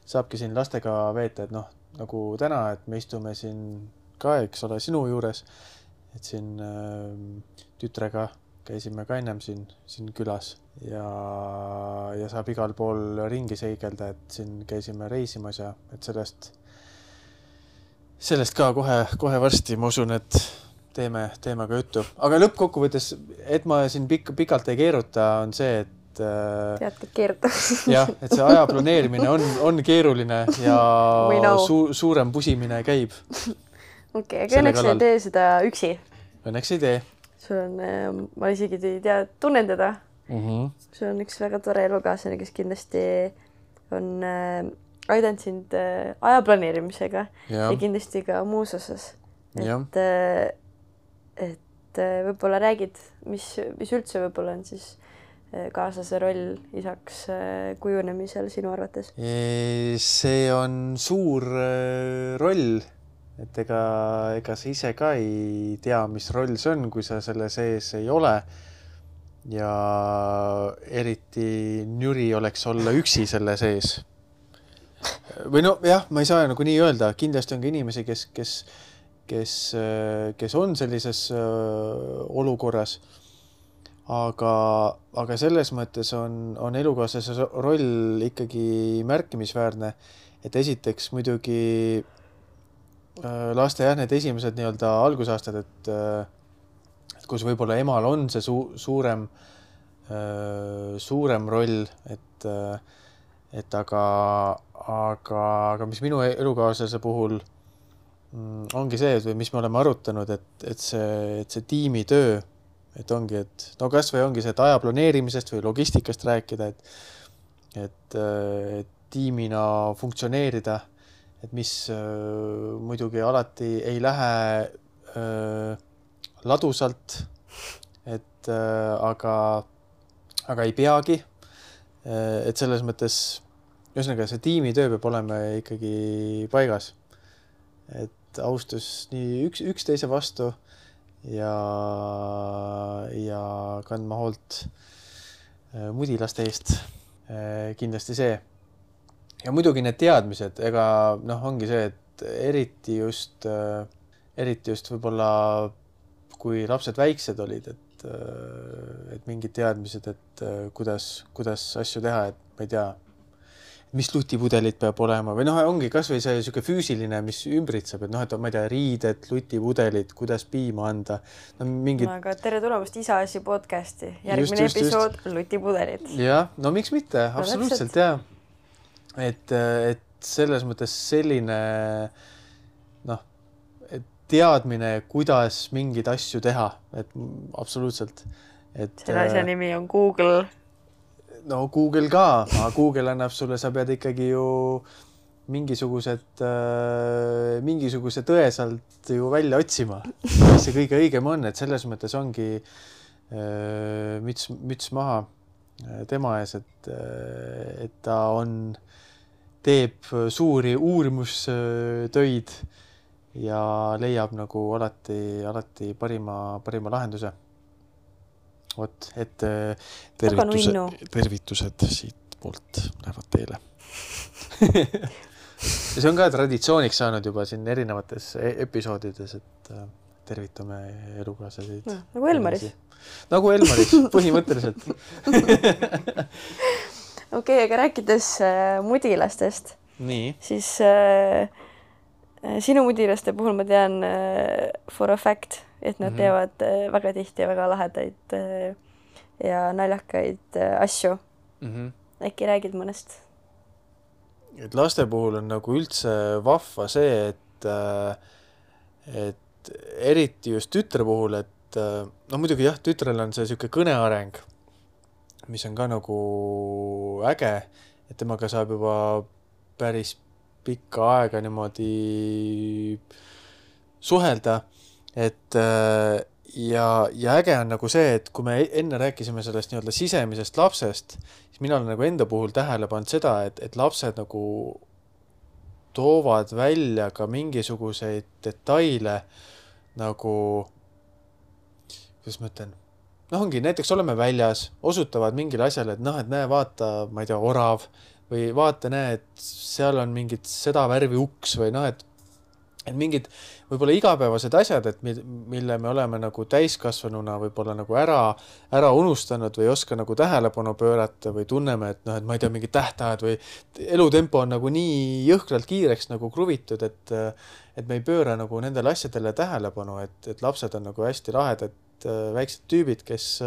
saabki siin lastega veeta, et noh, nagu täna, et me istume siin ka, eks ole, sinu juures, et siin äh, tütrega käisime ka ennem siin, siin külas ja, ja saab igal pool ringi seigelda, et siin käisime reisimas ja et sellest, sellest ka kohe, kohe varsti, ma usun, et teeme, teeme ka juttu. Aga lõppkokkuvõttes, et ma siin pik- pikalt ei keeruta, on see, et tead, et keeruta. jah, et see aja planeerimine on, on keeruline ja su, suurem pusimine käib. Okei, aga õnneks ei tee seda üksi. Õnneks ei tee. Sul on, ma isegi ei tea, tunnen teda. Mm-hmm. Sul on üks väga tore elukaaslane, kes kindlasti on äh, aidanud sind äh, aja planeerimisega ja. ja kindlasti ka muus osas. Et, äh, et äh, võib-olla räägid, mis, mis üldse võib-olla on siis äh, kaaslase roll isaks äh, kujunemisel sinu arvates? See on suur äh, roll. Et ega, ega sa ise ka ei tea, mis roll see on, kui sa selle sees ei ole. Ja eriti njüri oleks olla üksi selle sees. Või no jah, ma ei saa nagu nii öelda. Kindlasti on ka inimesi, kes, kes, kes, kes on sellises olukorras. Aga, aga selles mõttes on, on elukaaslase roll ikkagi märkimisväärne. Et esiteks muidugi laste jah, need esimesed nii-öelda algusaastad, et, et kus võib-olla emal on see su, suurem, suurem roll, et, et aga, aga, aga mis minu elukaaslase puhul ongi see, et mis me oleme arutanud, et, et, see, et see tiimitöö, et ongi, et no kas või ongi see, et aja planeerimisest või logistikast rääkida, et, et, et tiimina funktsioneerida, et mis äh, muidugi alati ei lähe äh, ladusalt, et äh, aga, aga ei peagi. Äh, et selles mõttes, ühesõnaga see tiimitöö peab olema ikkagi paigas. Et austus nii üks, üksteise vastu ja, ja kandma hoolt äh, mudilaste eest. Äh, kindlasti see. Ja muidugi need teadmised, ega noh, ongi see, et eriti just, eriti just võib-olla, kui lapsed väiksed olid, et, et mingid teadmised, et kuidas, kuidas asju teha, et ma ei tea, mis lutipudelit peab olema või noh, ongi kas või see siuke füüsiline, mis ümbritseb, et noh, et ma ei tea, riided, lutipudelit, kuidas piima anda. No, mingid... no, aga tere tulemast Isaasi podcasti. Järgmine just, episood, just. Lutipudelit. Jah, no miks mitte, no, absoluutselt, jah. Et, et selles mõttes selline noh, et teadmine, kuidas mingeid asju teha, et absoluutselt. Et, selle asja nimi on Google. No Google ka, aga Google annab sulle, sa pead ikkagi ju mingisugused, mingisuguse tõe sealt ju välja otsima, mis see kõige õigem on, et selles mõttes ongi müts, müts maha tema ees, et, et ta on teeb suuri uurimustöid ja leiab nagu alati, alati parima, parima lahenduse. Vot, et tervitused, tervitused siit poolt lähevad teile. See on ka traditsiooniks saanud juba siin erinevates episoodides, et tervitame elukaaslaseid. No, nagu Elmaris. nagu Elmaris, põhimõtteliselt. Okei, okay, aga rääkides äh, mudilastest, Nii. siis äh, sinu mudilaste puhul ma tean äh, for a fact, et nad mm -hmm. teevad äh, väga tihti ja väga lahedaid äh, ja naljakaid äh, asju. Mm -hmm. Äkki räägid mõnest? Et laste puhul on nagu üldse vahva see, et, et eriti just tütre puhul, et no muidugi jah, tütrel on see siuke kõneareng, mis on ka nagu äge, et temaga saab juba päris pikka aega niimoodi suhelda, et ja, ja äge on nagu see, et kui me enne rääkisime sellest nii-öelda sisemisest lapsest, siis mina olen nagu enda puhul tähele pannud seda, et, et lapsed nagu toovad välja ka mingisuguseid detaile nagu, kuidas ma ütlen, noh ongi, näiteks oleme väljas, osutavad mingile asjale, et noh, et näe, vaata, ma ei tea, orav või vaata, näe, et seal on mingid seda värvi uks või noh, et et mingid võib-olla igapäevased asjad, et mille me oleme nagu täiskasvanuna võib-olla nagu ära, ära unustanud või ei oska nagu tähelepanu pöörata või tunneme, et noh, et ma ei tea, mingid tähtajad või elutempo on nagu nii jõhkralt kiireks nagu kruvitud, et, et me ei pööra nagu nendele asjadele tähelepanu, et, et lapsed on nagu hästi lahedad väiksed tüübid, kes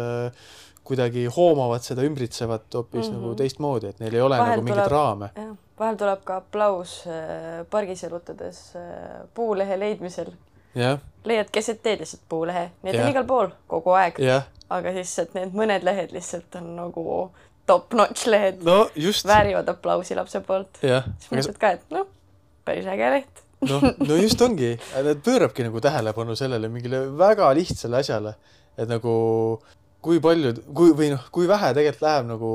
kuidagi hoomavad seda ümbritsevat hoopis mm -hmm. nagu teistmoodi, et neil ei ole vahel nagu mingit raame. Jah. Vahel tuleb ka aplaus äh, pargis elutades äh, puulehe leidmisel. Yeah. Leiad keset teed lihtsalt puulehe. Need yeah. on igal pool kogu aeg. Yeah. Aga siis, et need mõned lehed lihtsalt on nagu top-notch lehed. No, just. Väärivad aplausi lapse poolt. Yeah. Siis mõtled ka, et noh, päris äge leht. no, no just ongi. Need pöörabki nagu tähelepanu sellele mingile väga lihtsale asjale. Et nagu kui palju, kui, või noh, kui vähe tegelikult läheb nagu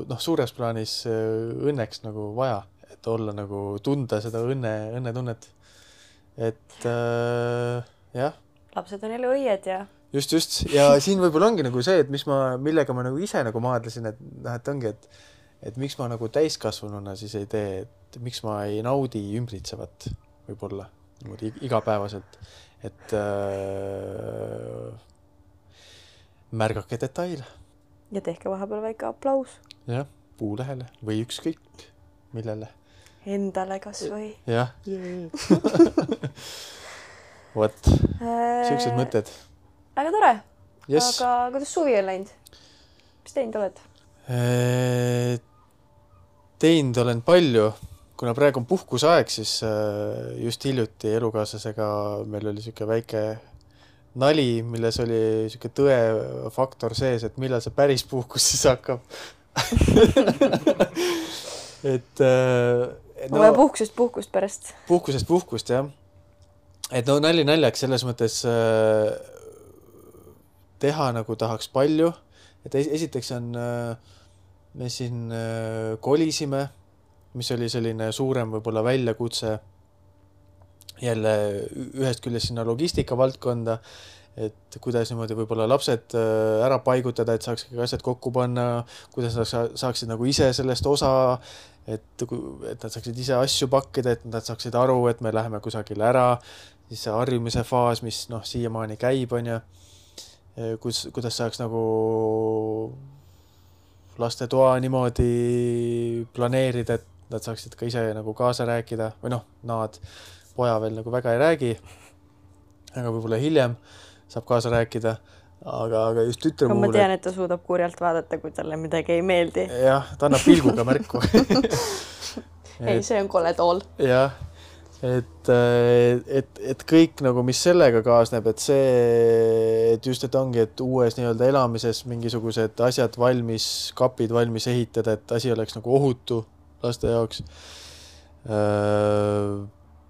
noh, suures plaanis õnneks nagu vaja, et olla nagu tunda seda õnne, õnnetunnet. Et äh, jah. Lapsed on elu õied ja. Just, just. Ja siin võib-olla ongi nagu see, et mis ma, millega ma nagu ise nagu maadlesin, et noh, et ongi, et, et miks ma nagu täiskasvanuna siis ei tee, et miks ma ei naudi ümbritsevat võib-olla niimoodi igapäevaselt, et äh, märgake detaile. Ja tehke vahepeal väike aplaus. Jah, puulehele või ükskõik millele. Endale kas või. Jah. Vot, siuksed mõtted. Aga tore. Yes. Aga kuidas suvi on läinud? Mis teinud oled? Teinud olen palju. Kuna praegu on puhkusaeg, siis just hiljuti elukaaslasega meil oli siuke väike nali, milles oli siuke tõe faktor sees, et millal see päris puhkus siis hakkab. et, et no, puhkusest puhkust pärast. Puhkusest puhkust, jah. Et no nali naljaks selles mõttes äh, teha nagu tahaks palju. Et esiteks on, äh, me siin äh, kolisime, mis oli selline suurem võib-olla väljakutse jälle ühest küljest sinna logistika valdkonda, et kuidas niimoodi võib-olla lapsed ära paigutada, et saaks asjad kokku panna, kuidas nad saaksid nagu ise sellest osa, et, et nad saaksid ise asju pakkida, et nad saaksid aru, et me läheme kusagile ära, siis see harjumise faas, mis noh, siiamaani käib, on ja kuidas, kuidas saaks nagu laste toa niimoodi planeerida, et nad saaksid ka ise nagu kaasa rääkida või noh, nad poja veel nagu väga ei räägi, aga võib-olla hiljem saab kaasa rääkida, aga, aga just tütre puhul... Ma tean, et ta suudab kurjalt vaadata, kui talle midagi ei meeldi. Jah, ta annab pilguga märku. ei, see on kole tool. Jah, et, et, et kõik nagu, mis sellega kaasneb, et see, et just, et ongi, et uues nii-öelda elamises mingisugused asjad valmis, kapid valmis ehitada, et asi oleks nagu ohutu laste jaoks.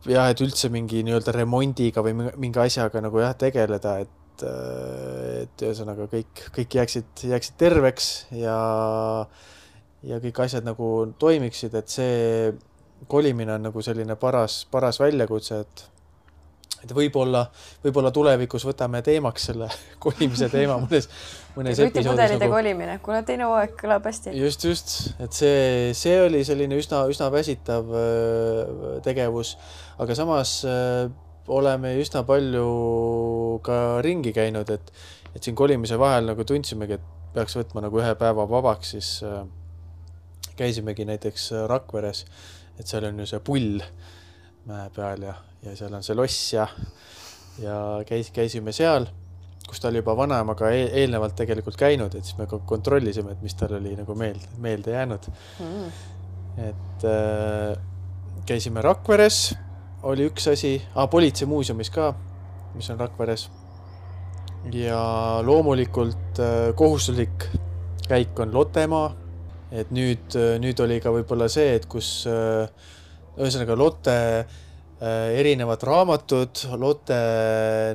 Jah, et üldse mingi nii-öelda remondiga või mingi asjaga nagu jah, tegeleda, et, et ühesõnaga kõik, kõik jääksid, jääksid terveks ja, ja kõik asjad nagu toimiksid, et see kolimine on nagu selline paras, paras väljakutse, et, et võib-olla, võib-olla tulevikus võtame teemaks selle kolimise teema mõnes, mõnes episoodis. Nagu... kolimine, kuna teine hooaeg kõlab hästi. Just, just, et see, see oli selline üsna, üsna väsitav tegevus, aga samas oleme üsna palju ka ringi käinud, et, et siin kolimise vahel nagu tundsimegi, et peaks võtma nagu ühe päeva vabaks, siis äh, käisimegi näiteks Rakveres, et seal on ju see pull mäe peal ja, ja seal on see loss ja, ja käis, käisime seal, kus ta oli juba vanaemaga eel, eelnevalt tegelikult käinud, et siis me kontrollisime, et mis tal oli nagu meelde, meelde jäänud. Mm. Et äh, käisime Rakveres, oli üks asi, ah, politseimuuseumis ka, mis on Rakveres. Ja loomulikult äh, kohustuslik käik on Lottemaa, et nüüd, nüüd oli ka võib-olla see, et kus äh, ühesõnaga Lotte äh, erinevad raamatud, Lotte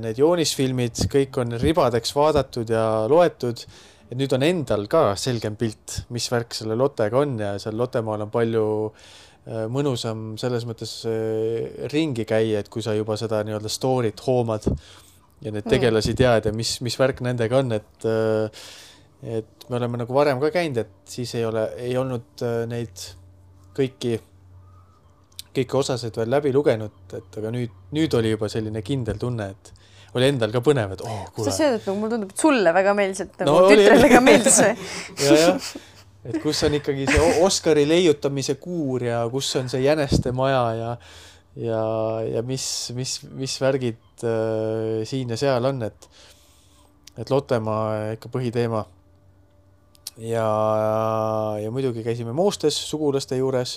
need joonisfilmid, kõik on ribadeks vaadatud ja loetud, et nüüd on endal ka selgem pilt, mis värk selle Lottega on ja seal Lottemaal on palju äh, mõnusam selles mõttes äh, ringi käia, et kui sa juba seda nii-öelda story't hoomad ja need tegelasi tead ja mis, mis värk nendega on, et, et me oleme nagu varem ka käinud, et siis ei ole, ei olnud neid kõiki, kõiki osasid veel läbi lugenud, et aga nüüd, nüüd oli juba selline kindel tunne, et oli endal ka põnev, et oh, kuule. Sa sööd, et mul tundub, et sulle väga meeldis, et nagu no, tütrele ka meeldis. ja, jah, et kus on ikkagi see Oscari leiutamise kuur ja kus on see jäneste maja ja ja, ja mis, mis, mis värgid äh, siin ja seal on, et, et Lottemaa ikka põhiteema. Ja, ja muidugi käisime Moostes sugulaste juures,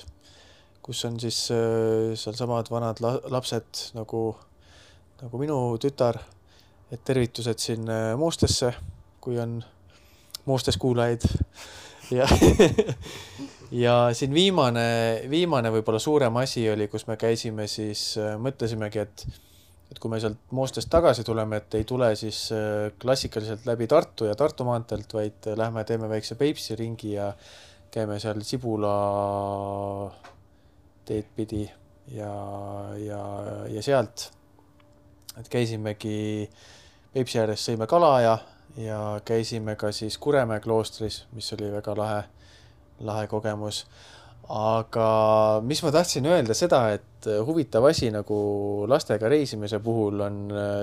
kus on siis äh, seal samad vanad la, lapsed nagu, nagu minu tütar, et tervitused siin äh, Moostesse, kui on Moostes kuulajaid. Ja ja siin viimane, viimane võib-olla suurem asi oli, kus me käisime, siis äh, mõtlesimegi, et, et kui me sealt Moostest tagasi tuleme, et ei tule siis äh, klassikaliselt läbi Tartu ja Tartu maantelt, vaid äh, lähme teeme väikse Peipsi ringi ja käime seal Sibula teed pidi ja, ja, ja sealt, et käisimegi Peipsi ääres, sõime kala ja, ja käisime ka siis Kuremäe kloostris, mis oli väga lahe lahe kogemus. Aga mis ma tahtsin öelda seda, et huvitav asi nagu lastega reisimise puhul on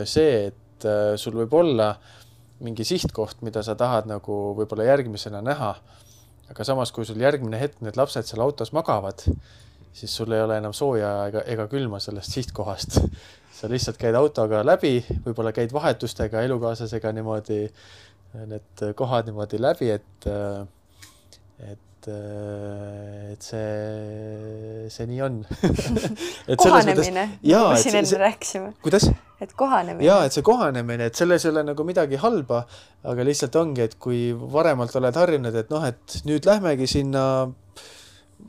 see, et sul võib olla mingi sihtkoht, mida sa tahad nagu võib-olla järgmisena näha. Aga samas, kui sul järgmine hetk need lapsed seal autos magavad, siis sul ei ole enam sooja ega, ega külma sellest sihtkohast. Sa lihtsalt käid autoga läbi, võib-olla käid vahetustega elukaaslasega niimoodi, need kohad niimoodi läbi, et, et et see, see nii on. et kohanemine, nagu siin enne rääkisime. Kuidas? Et kohanemine. Jaa, et see kohanemine, et selles ei ole nagu midagi halba, aga lihtsalt ongi, et kui varemalt oled harjunud, et noh, et nüüd lähmegi sinna,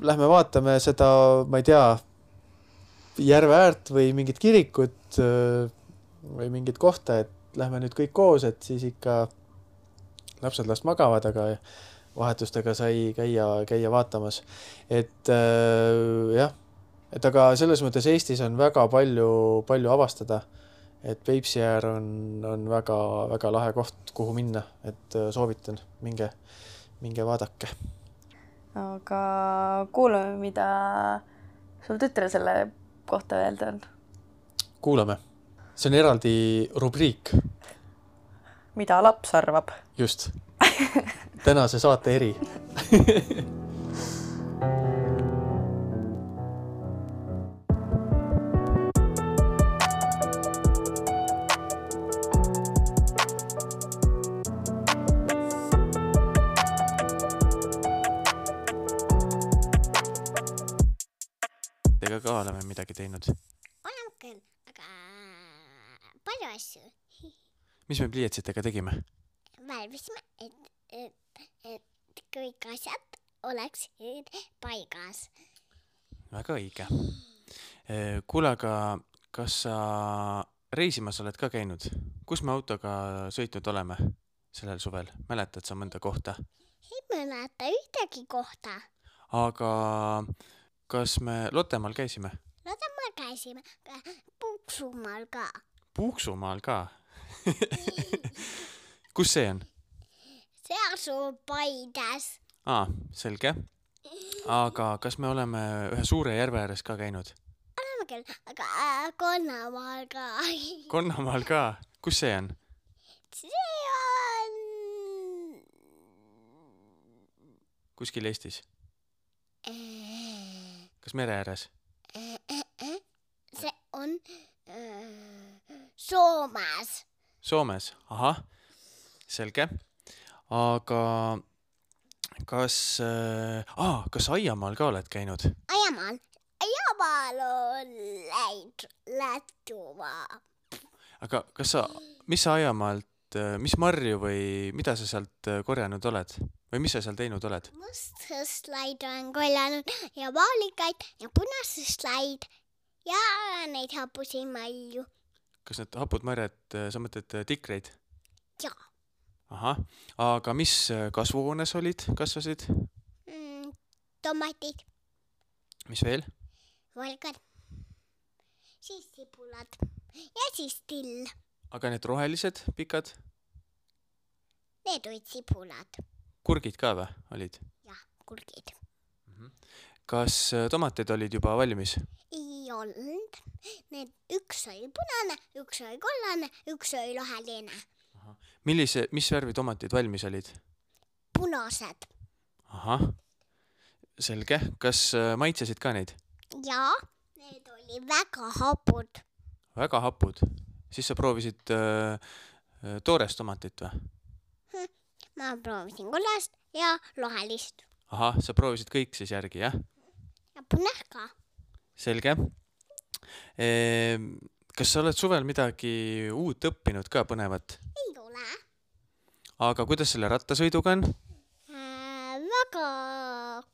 lähme vaatame seda, ma ei tea, järve äärt või mingit kirikut või mingit kohta, et lähme nüüd kõik koos, et siis ikka lapsed last magavad, aga vahetustega sai käia, käia vaatamas. Et äh, jah, et aga selles mõttes Eestis on väga palju, palju avastada, et Peipsi äär on, on väga, väga lahe koht, kuhu minna, et äh, soovitan, minge, minge vaadake. Aga kuulame, mida sul tütre selle kohta öelda on. Kuulame. See on eraldi rubriik. Mida laps arvab. Just. Tänase saate eri. Tega ka oleme midagi teinud. Oleme küll, aga palju asju. Mis me pliiatsitega tegime? Värvisime, et, et, et kõik asjad oleks paigas. Väga õige. Kuule, aga kas sa reisimas oled ka käinud? Kus me autoga sõitnud oleme sellel suvel? Mäletad sa mõnda kohta? Ei mäleta ühtegi kohta. Aga kas me Lottemaal käisime? Lottemaal käisime, Puuksumaal ka. Puuksumaal ka? Kus see on? See asub Paides. Aa, selge. Aga kas me oleme ühe suure järve ääres ka käinud? Oleme küll, aga äh, Konnamaal ka. Konnamaal ka? Kus see on? see on... Kuskil Eestis? Kas mere ääres? See on äh, Soomes. Soomes, ahah, selge. Aga kas, äh, ah, kas Aiamaal ka oled käinud? Aiamaal, Aiamaal on läinud Lätumaa. Aga kas sa, mis sa Aiamaalt, mis marju või mida sa sealt korjanud oled? Või mis sa seal teinud oled? Mustsõslaid on korjanud ja vaalikaid ja punasõslaid ja neid hapusi malju. Kas need hapud marjad, sa mõtled tikreid? Jaa. Ahah, aga mis kasvuhoones olid, kasvasid? Mm, tomatid. Mis veel? Valgad. Siis sibulad. Ja siis till. Aga need rohelised, pikad? Need olid sibulad. Kurgid ka või olid? Jah, kurgid. Kas tomatid olid juba valmis? Ei olnud. Need üks oli punane, üks oli kollane, üks oli roheline. Millise, mis värvi tomatid valmis olid? Punased. Ahah, selge. Kas maitsesid ka neid? Jaa, need oli väga hapud. Väga hapud. Siis sa proovisid äh, toorest tomatit või? Hm, ma proovisin kollast ja rohelist. Ahah, sa proovisid kõik siis järgi, jah? Ja punast ka. Selge. E, kas sa oled suvel midagi uut õppinud ka põnevat? Ei ole. Aga kuidas selle rattasõiduga on? Äh, väga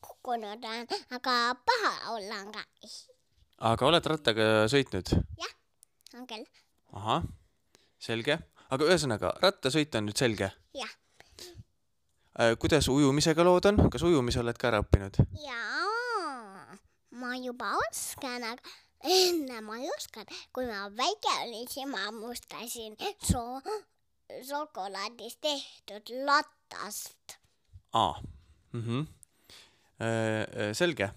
kukkunud on, aga paha olla on ka. Aga oled rattaga sõitnud? Jah, on küll. Ahah, selge. Aga ühesõnaga, rattasõit on nüüd selge? Jah. Kuidas ujumisega lood on? Kas ujumise oled ka ära õppinud? Jaa, ma juba oskan, aga enne ma ei oskan. Kui ma väike olin, siis ma mustasin so šokolaadist tehtud latast. Aa, mhm. Selge.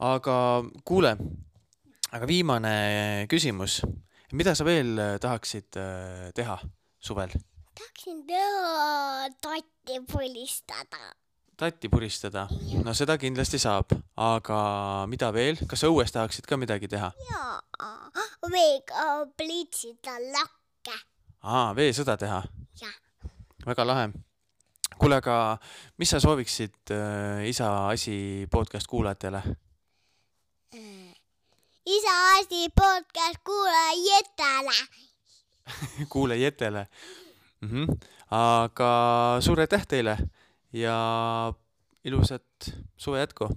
Aga kuule, aga viimane küsimus. Mida sa veel tahaksid teha suvel? Tahaksin teha tatti pulistada. Tatti puristada? No seda kindlasti saab. Aga mida veel? Kas sa õues tahaksid ka midagi teha? Jaa, veega pliitsida lakke. Aa, veesõda teha? Jah. Väga lahe. Kuule, aga mis sa sooviksid äh, Isa Asi podcast kuulajatele? Isa Asi podcast kuulajatele. Kuulajatele. Mm-hmm. Aga suur aitäh teile ja ilusat suve jätku.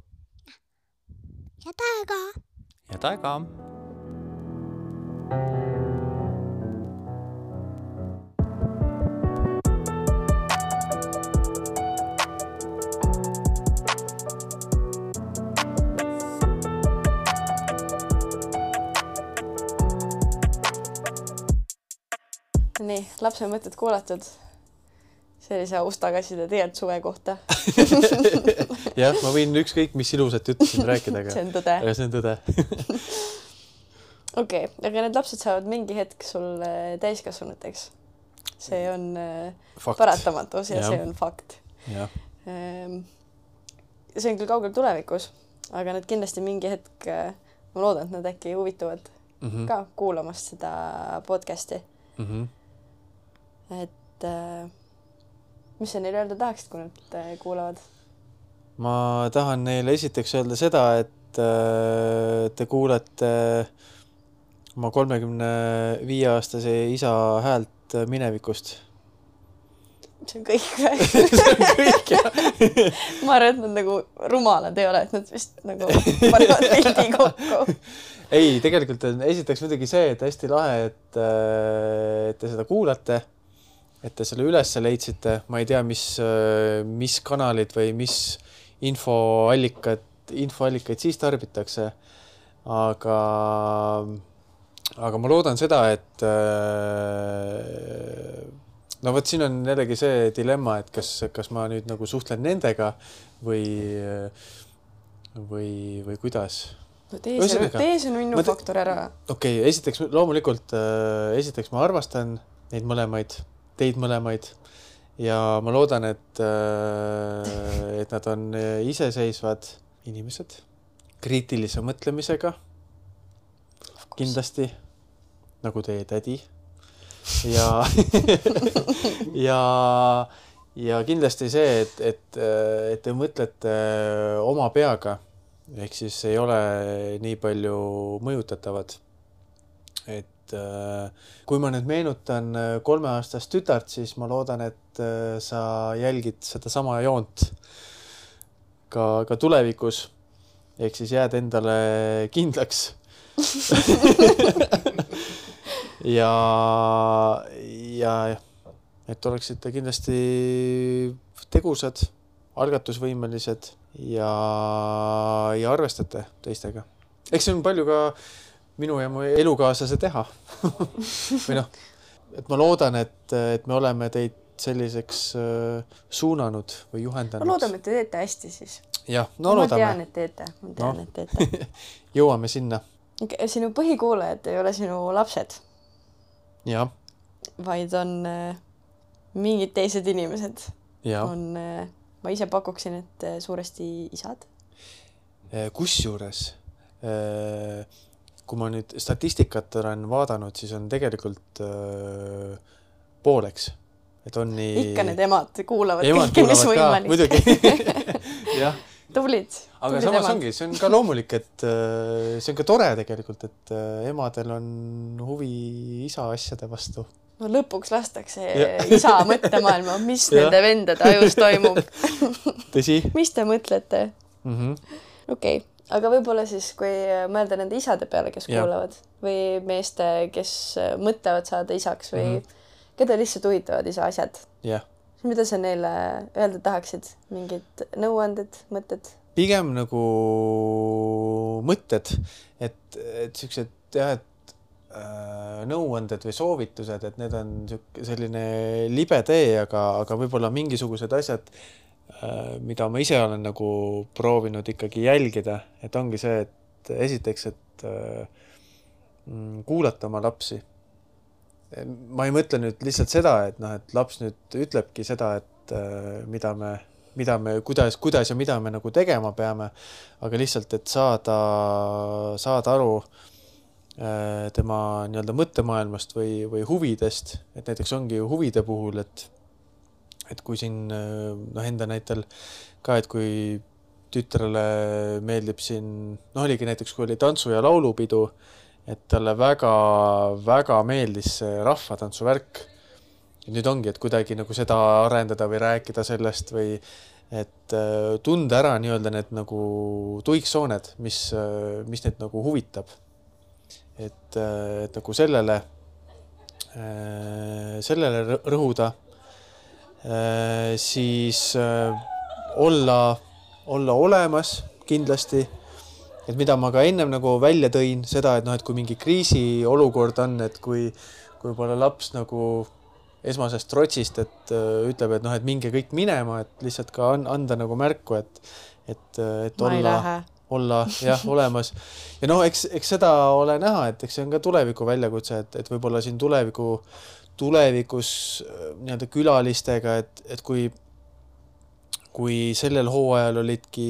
Ja taega. Ja taega. Nii, lapse mõtted kuulatud. See oli see ustakasside teelt suve kohta. Jah, ma võin ükskõik, mis ilusat ütlesin rääkida. Aga... see on tõde. Aga see on tõde. Okei, okay, aga need lapsed saavad mingi hetk sul täiskasvanuteks. See on fakt. Paratamatus ja, ja see on fakt. Ja. See on küll kaugel tulevikus, aga nad kindlasti mingi hetk, ma loodan, et nad äkki huvituvad mm-hmm. ka kuulamast seda podcasti. Mm-hmm. Et äh, mis sa neile öelda tahaksid, kui nad äh, kuulavad? Ma tahan neile esiteks öelda seda, et äh, te kuulete oma kolmekümne viie aastase isa häält minevikust. See on kõik või? See on kõik, jah. Ma arvan, et nad nagu rumalad ei ole, et nad vist nagu panevad pildi kokku. Ei, tegelikult on esiteks muidugi see, et hästi lahe, et, et te seda kuulate, et te selle üles leidsite. Ma ei tea, mis, mis kanalid või mis infoallikad, infoallikaid siis tarbitakse. Aga, aga ma loodan seda, et no võt, siin on jällegi see dilemma, et kas, kas ma nüüd nagu suhtlen nendega või, või, või kuidas. No tee see, tee see minu faktor ära. Okei, okay, esiteks loomulikult, äh, esiteks ma armastan neid mõlemaid teid mõlemaid ja ma loodan, et, et nad on iseseisvad inimesed, kriitilise mõtlemisega, kindlasti, nagu teie tädi. Ja, ja, ja kindlasti see, et, et, et te mõtlete oma peaga, ehk siis ei ole nii palju mõjutatavad. Et kui ma nüüd meenutan kolmeaastast tütart, siis ma loodan, et sa jälgid seda sama joont ka, ka tulevikus. Ehk siis jääd endale kindlaks. ja, ja et oleksite kindlasti tegusad, algatusvõimelised ja, ja arvestate teistega. Eks see on palju ka minu ja mu elukaaslase teha. Või noh, et ma loodan, et, et me oleme teid selliseks suunanud või juhendanud. Ma loodame, et te teete hästi siis. Jah, no ma loodame. tean, et teete. Ma tean, no. et teete. Jõuame sinna. Sinu põhikuulajad ei ole sinu lapsed. Ja. Vaid on äh, mingid teised inimesed. Ja. On, äh, ma ise pakuksin, et äh, suuresti isad. Kusjuures, äh, kui ma nüüd statistikat olen vaadanud, siis on tegelikult äh, pooleks. Et on nii... Ikka need emad kuulavad emad kõike, mis võimalik. Muidugi. Jah. Tublid. Aga tublid samas emad. ongi, see on ka loomulik, et see on ka tore tegelikult, et emadel on huvi isa asjade vastu. No lõpuks lastakse ja. isa mõttemaailma, mis nende vendade ajus toimub. Tõsi? Mis te mõtlete? Mm-hmm. Okei, okay. Aga võib-olla siis, kui mõelda nende isade peale, kes ja. Kuulavad või meeste, kes mõtlevad saada isaks või mm-hmm. keda lihtsalt huvitavad isa asjad. Jah. Mida sa neile öelda tahaksid? Mingid nõuanded, mõtted? Pigem nagu mõtted, et, et sellised jah, et äh, nõuanded või soovitused, et need on selline libe tee, aga, aga võib-olla mingisugused asjad, äh, mida ma ise olen nagu proovinud ikkagi jälgida, et ongi see, et esiteks, et äh, kuulata oma lapsi. Ma ei mõtle nüüd lihtsalt seda, et, noh, et laps nüüd ütlebki seda, et äh, mida me, mida me, kuidas, kuidas ja mida me nagu tegema peame, aga lihtsalt, et saada, saada aru äh, tema nii-öelda mõttemaailmast või, või huvidest, et näiteks ongi huvide puhul, et, et kui siin noh, enda näitel ka, et kui tütrele meeldib siin, noh oligi näiteks, kui oli tantsu- ja laulupidu, et talle väga, väga meeldis see rahvatantsu värk. Ja nüüd ongi, et kuidagi nagu seda arendada või rääkida sellest või et tunda ära nii-öelda need nagu tuiksooned, mis, mis neid nagu huvitab. Et, et nagu sellele, sellele rõhuda, siis olla, olla olemas kindlasti. Et mida ma ka ennem nagu välja tõin, seda, et, noh, et kui mingi kriisiolukord on, et kui, kui võib-olla laps nagu esmasest trotsist, et uh, ütleb, et, noh, et minge kõik minema, et lihtsalt ka anda nagu märku, et, et, et olla, olla jah, olemas. Ja noh, eks, eks seda ole näha, et eks see on ka tuleviku väljakutse, et, et võib-olla siin tuleviku, tulevikus nii-öelda külalistega, et, et kui, kui sellel hooajal olidki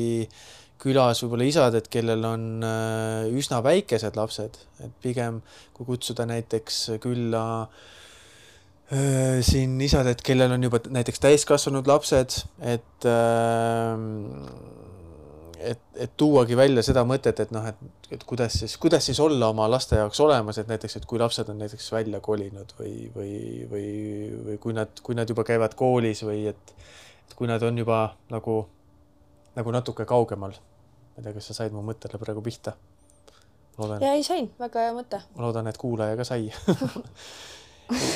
külas võib-olla isad, et kellel on üsna väikesed lapsed, et pigem kui kutsuda näiteks külla äh, siin isad, et kellel on juba näiteks täiskasvanud lapsed, et, äh, et, et tuuagi välja seda mõtet, et, noh, et, et kuidas, siis, kuidas siis olla oma laste jaoks olemas, et näiteks, et kui lapsed on näiteks välja kolinud või, või, või, või kui, nad, kui nad juba käivad koolis või et, et kui nad on juba nagu nagu natuke kaugemal. Ma ei tea, kas sa said mu mõttele praegu pihta? Loodan, ja ei sain, väga hea mõte. Ma loodan, et kuulaja ka sai.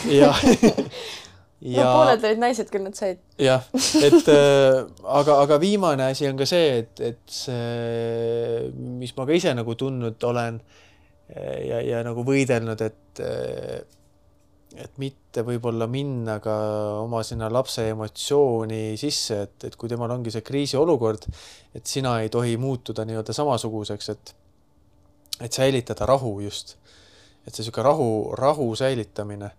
ja, ja... No, pooled olid naised, küll nad said. Jah, et äh, aga, aga viimane asi on ka see, et, et see, mis ma ka ise nagu tundnud olen ja, ja nagu võidelnud, et et mitte võib-olla minna ka oma sinna lapse emotsiooni sisse, et, et kui temal ongi see kriisiolukord, et sina ei tohi muutuda nii-öelda samasuguseks, et, et säilitada rahu just. Et see siuke rahu, rahu säilitamine,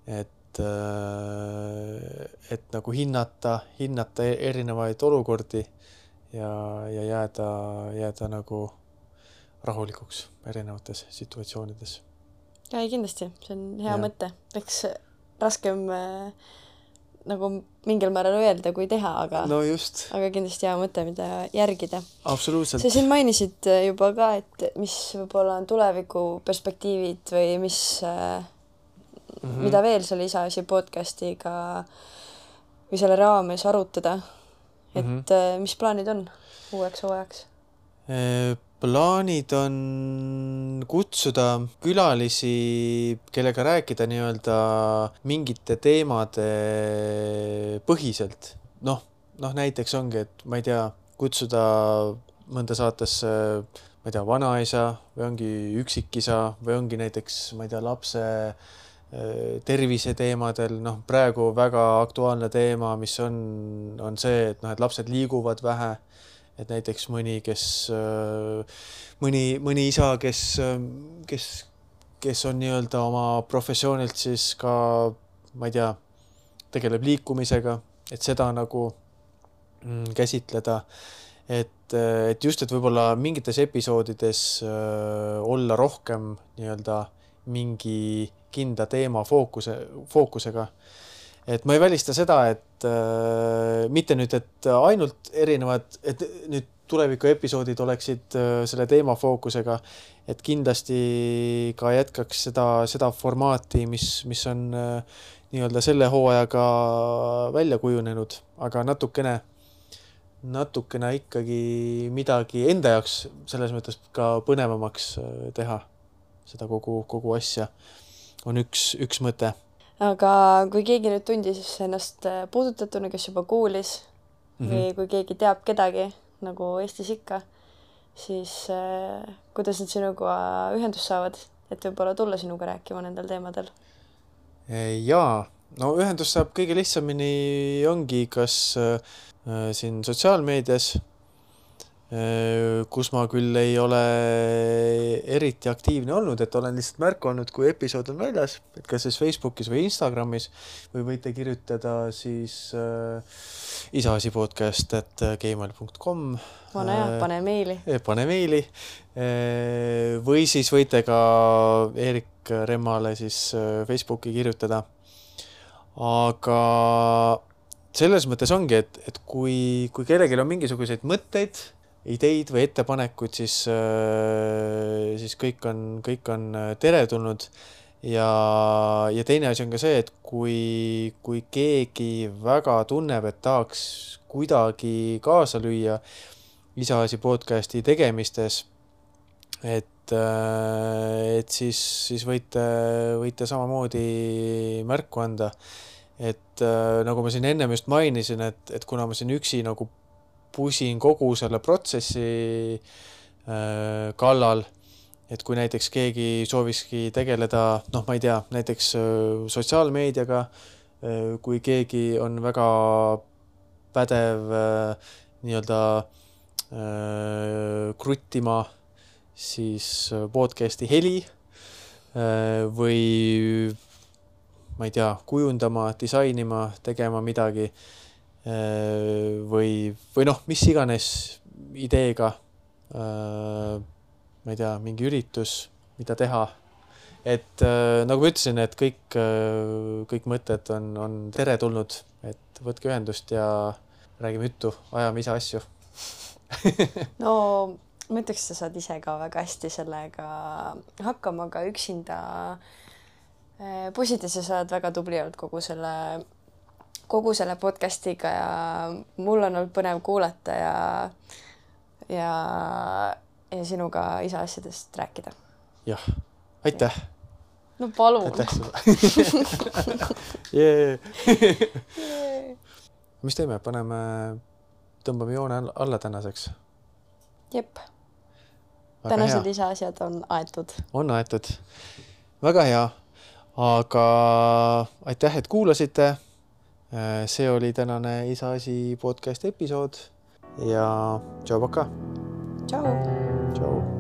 et et, et nagu hinnata, hinnata erinevaid olukordi ja, ja jääda, jääda nagu rahulikuks erinevates situatsioonides. Ja ei, kindlasti, see on hea Ja. mõte. Eks raskem äh, nagu mingil määral öelda, kui teha, aga, No just, aga kindlasti hea mõte, mida järgida. absoluutselt. Sa siin mainisid äh, juba ka, et mis võib-olla on tuleviku perspektiivid või mis, äh, Mhm. mida veel selle Isaasi podcastiga või selle raames arutada. Et Mhm. äh, mis plaanid on uueks hooajaks? Eh, Plaanid on kutsuda külalisi, kellega rääkida nii-öelda mingite teemade põhiselt. Noh, noh näiteks ongi, et ma ei tea, kutsuda mõnda saatesse, ma ei tea, vanaisa või ongi üksikisa või ongi näiteks, ma ei tea, lapse eh, tervise teemadel. Noh, praegu väga aktuaalne teema, mis on, on see, et noh, et lapsed liiguvad vähe. Et näiteks mõni, kes, mõni, mõni isa, kes, kes, kes on nii-öelda oma professioonilt siis ka, ma ei tea, tegeleb liikumisega, et seda nagu mm, käsitleda. Et, et just, et võib-olla mingites episoodides äh, olla rohkem nii-öelda mingi kinda teema fookuse, fookusega. Et ma ei välista seda, et äh, mitte nüüd, et ainult erinevad, et nüüd tuleviku episoodid oleksid äh, selle teema fookusega, et kindlasti ka jätkaks seda, seda formaati, mis, mis on äh, nii-öelda selle hooajaga välja kujunenud, aga natukene, natukene ikkagi midagi enda jaoks selles mõttes ka põnevamaks äh, teha seda kogu, kogu asja on üks, üks mõte. Aga kui keegi nüüd tundis ennast puudutatuna, kes juba kuulis mm-hmm. või kui keegi teab kedagi, nagu Eestis ikka, siis äh, kuidas nad sinuga ühendust saavad, et võib-olla tulla sinuga rääkima nendel teemadel? Jaa, no ühendust saab kõige lihtsamini ongi kas äh, siin sotsiaalmeedias, äh, kus ma küll ei ole eriti aktiivne olnud, et olen lihtsalt märku olnud, kui episood on väljas, et kas siis Facebookis või Instagramis või võite kirjutada siis äh, isaasi podcast at gmail punkt com. Vana jah, pane meili. Pane meili. Äh, või siis võite ka Erik Remmale siis Facebooki kirjutada. Aga selles mõttes ongi, et, et kui, kui kellelgi on mingisuguseid mõtteid, ideid või ettepanekuid, siis, siis kõik on, kõik on teretulnud. Ja, ja teine asi on ka see, et kui, kui keegi väga tunneb, et tahaks kuidagi kaasa lüüa Isaasi podcasti tegemistes, et, et siis, siis võite, võite samamoodi märku anda. Et nagu ma siin ennem just mainisin, et, et kuna ma siin üksi nagu pusin kogu selle protsessi äh, kallal, et kui näiteks keegi soovikski tegeleda, noh, ma ei tea, näiteks äh, sotsiaalmeediaga, äh, kui keegi on väga pädev äh, nii-öelda äh, kruttima siis podcasti heli äh, või ma ei tea, kujundama, disainima, tegema midagi või, või noh, mis iganes ideega, ma ei tea, mingi üritus, mida teha. Et nagu ma ütlesin, et kõik, kõik mõtted on, on teretulnud, et võtke ühendust ja räägime juttu, ajame ise asju. No ma ütleks, sa saad ise ka väga hästi sellega hakkama, aga üksinda pusides sa saad väga tubli olnud kogu selle, kogu selle podcastiga ja mul on olnud põnev kuulata ja, ja, ja sinuga isa asjadest rääkida. Jah, aitäh. No palun. Aitäh sulle. yeah. yeah. Mis teeme? Paneme, tõmbame joone alla tänaseks. Jep. Tänased isa asjad on aetud. On aetud. Väga hea. Aga aitäh, et kuulasite. See oli tänane Isaasi podcast episood ja tšau, paka. Tšau. Tšau.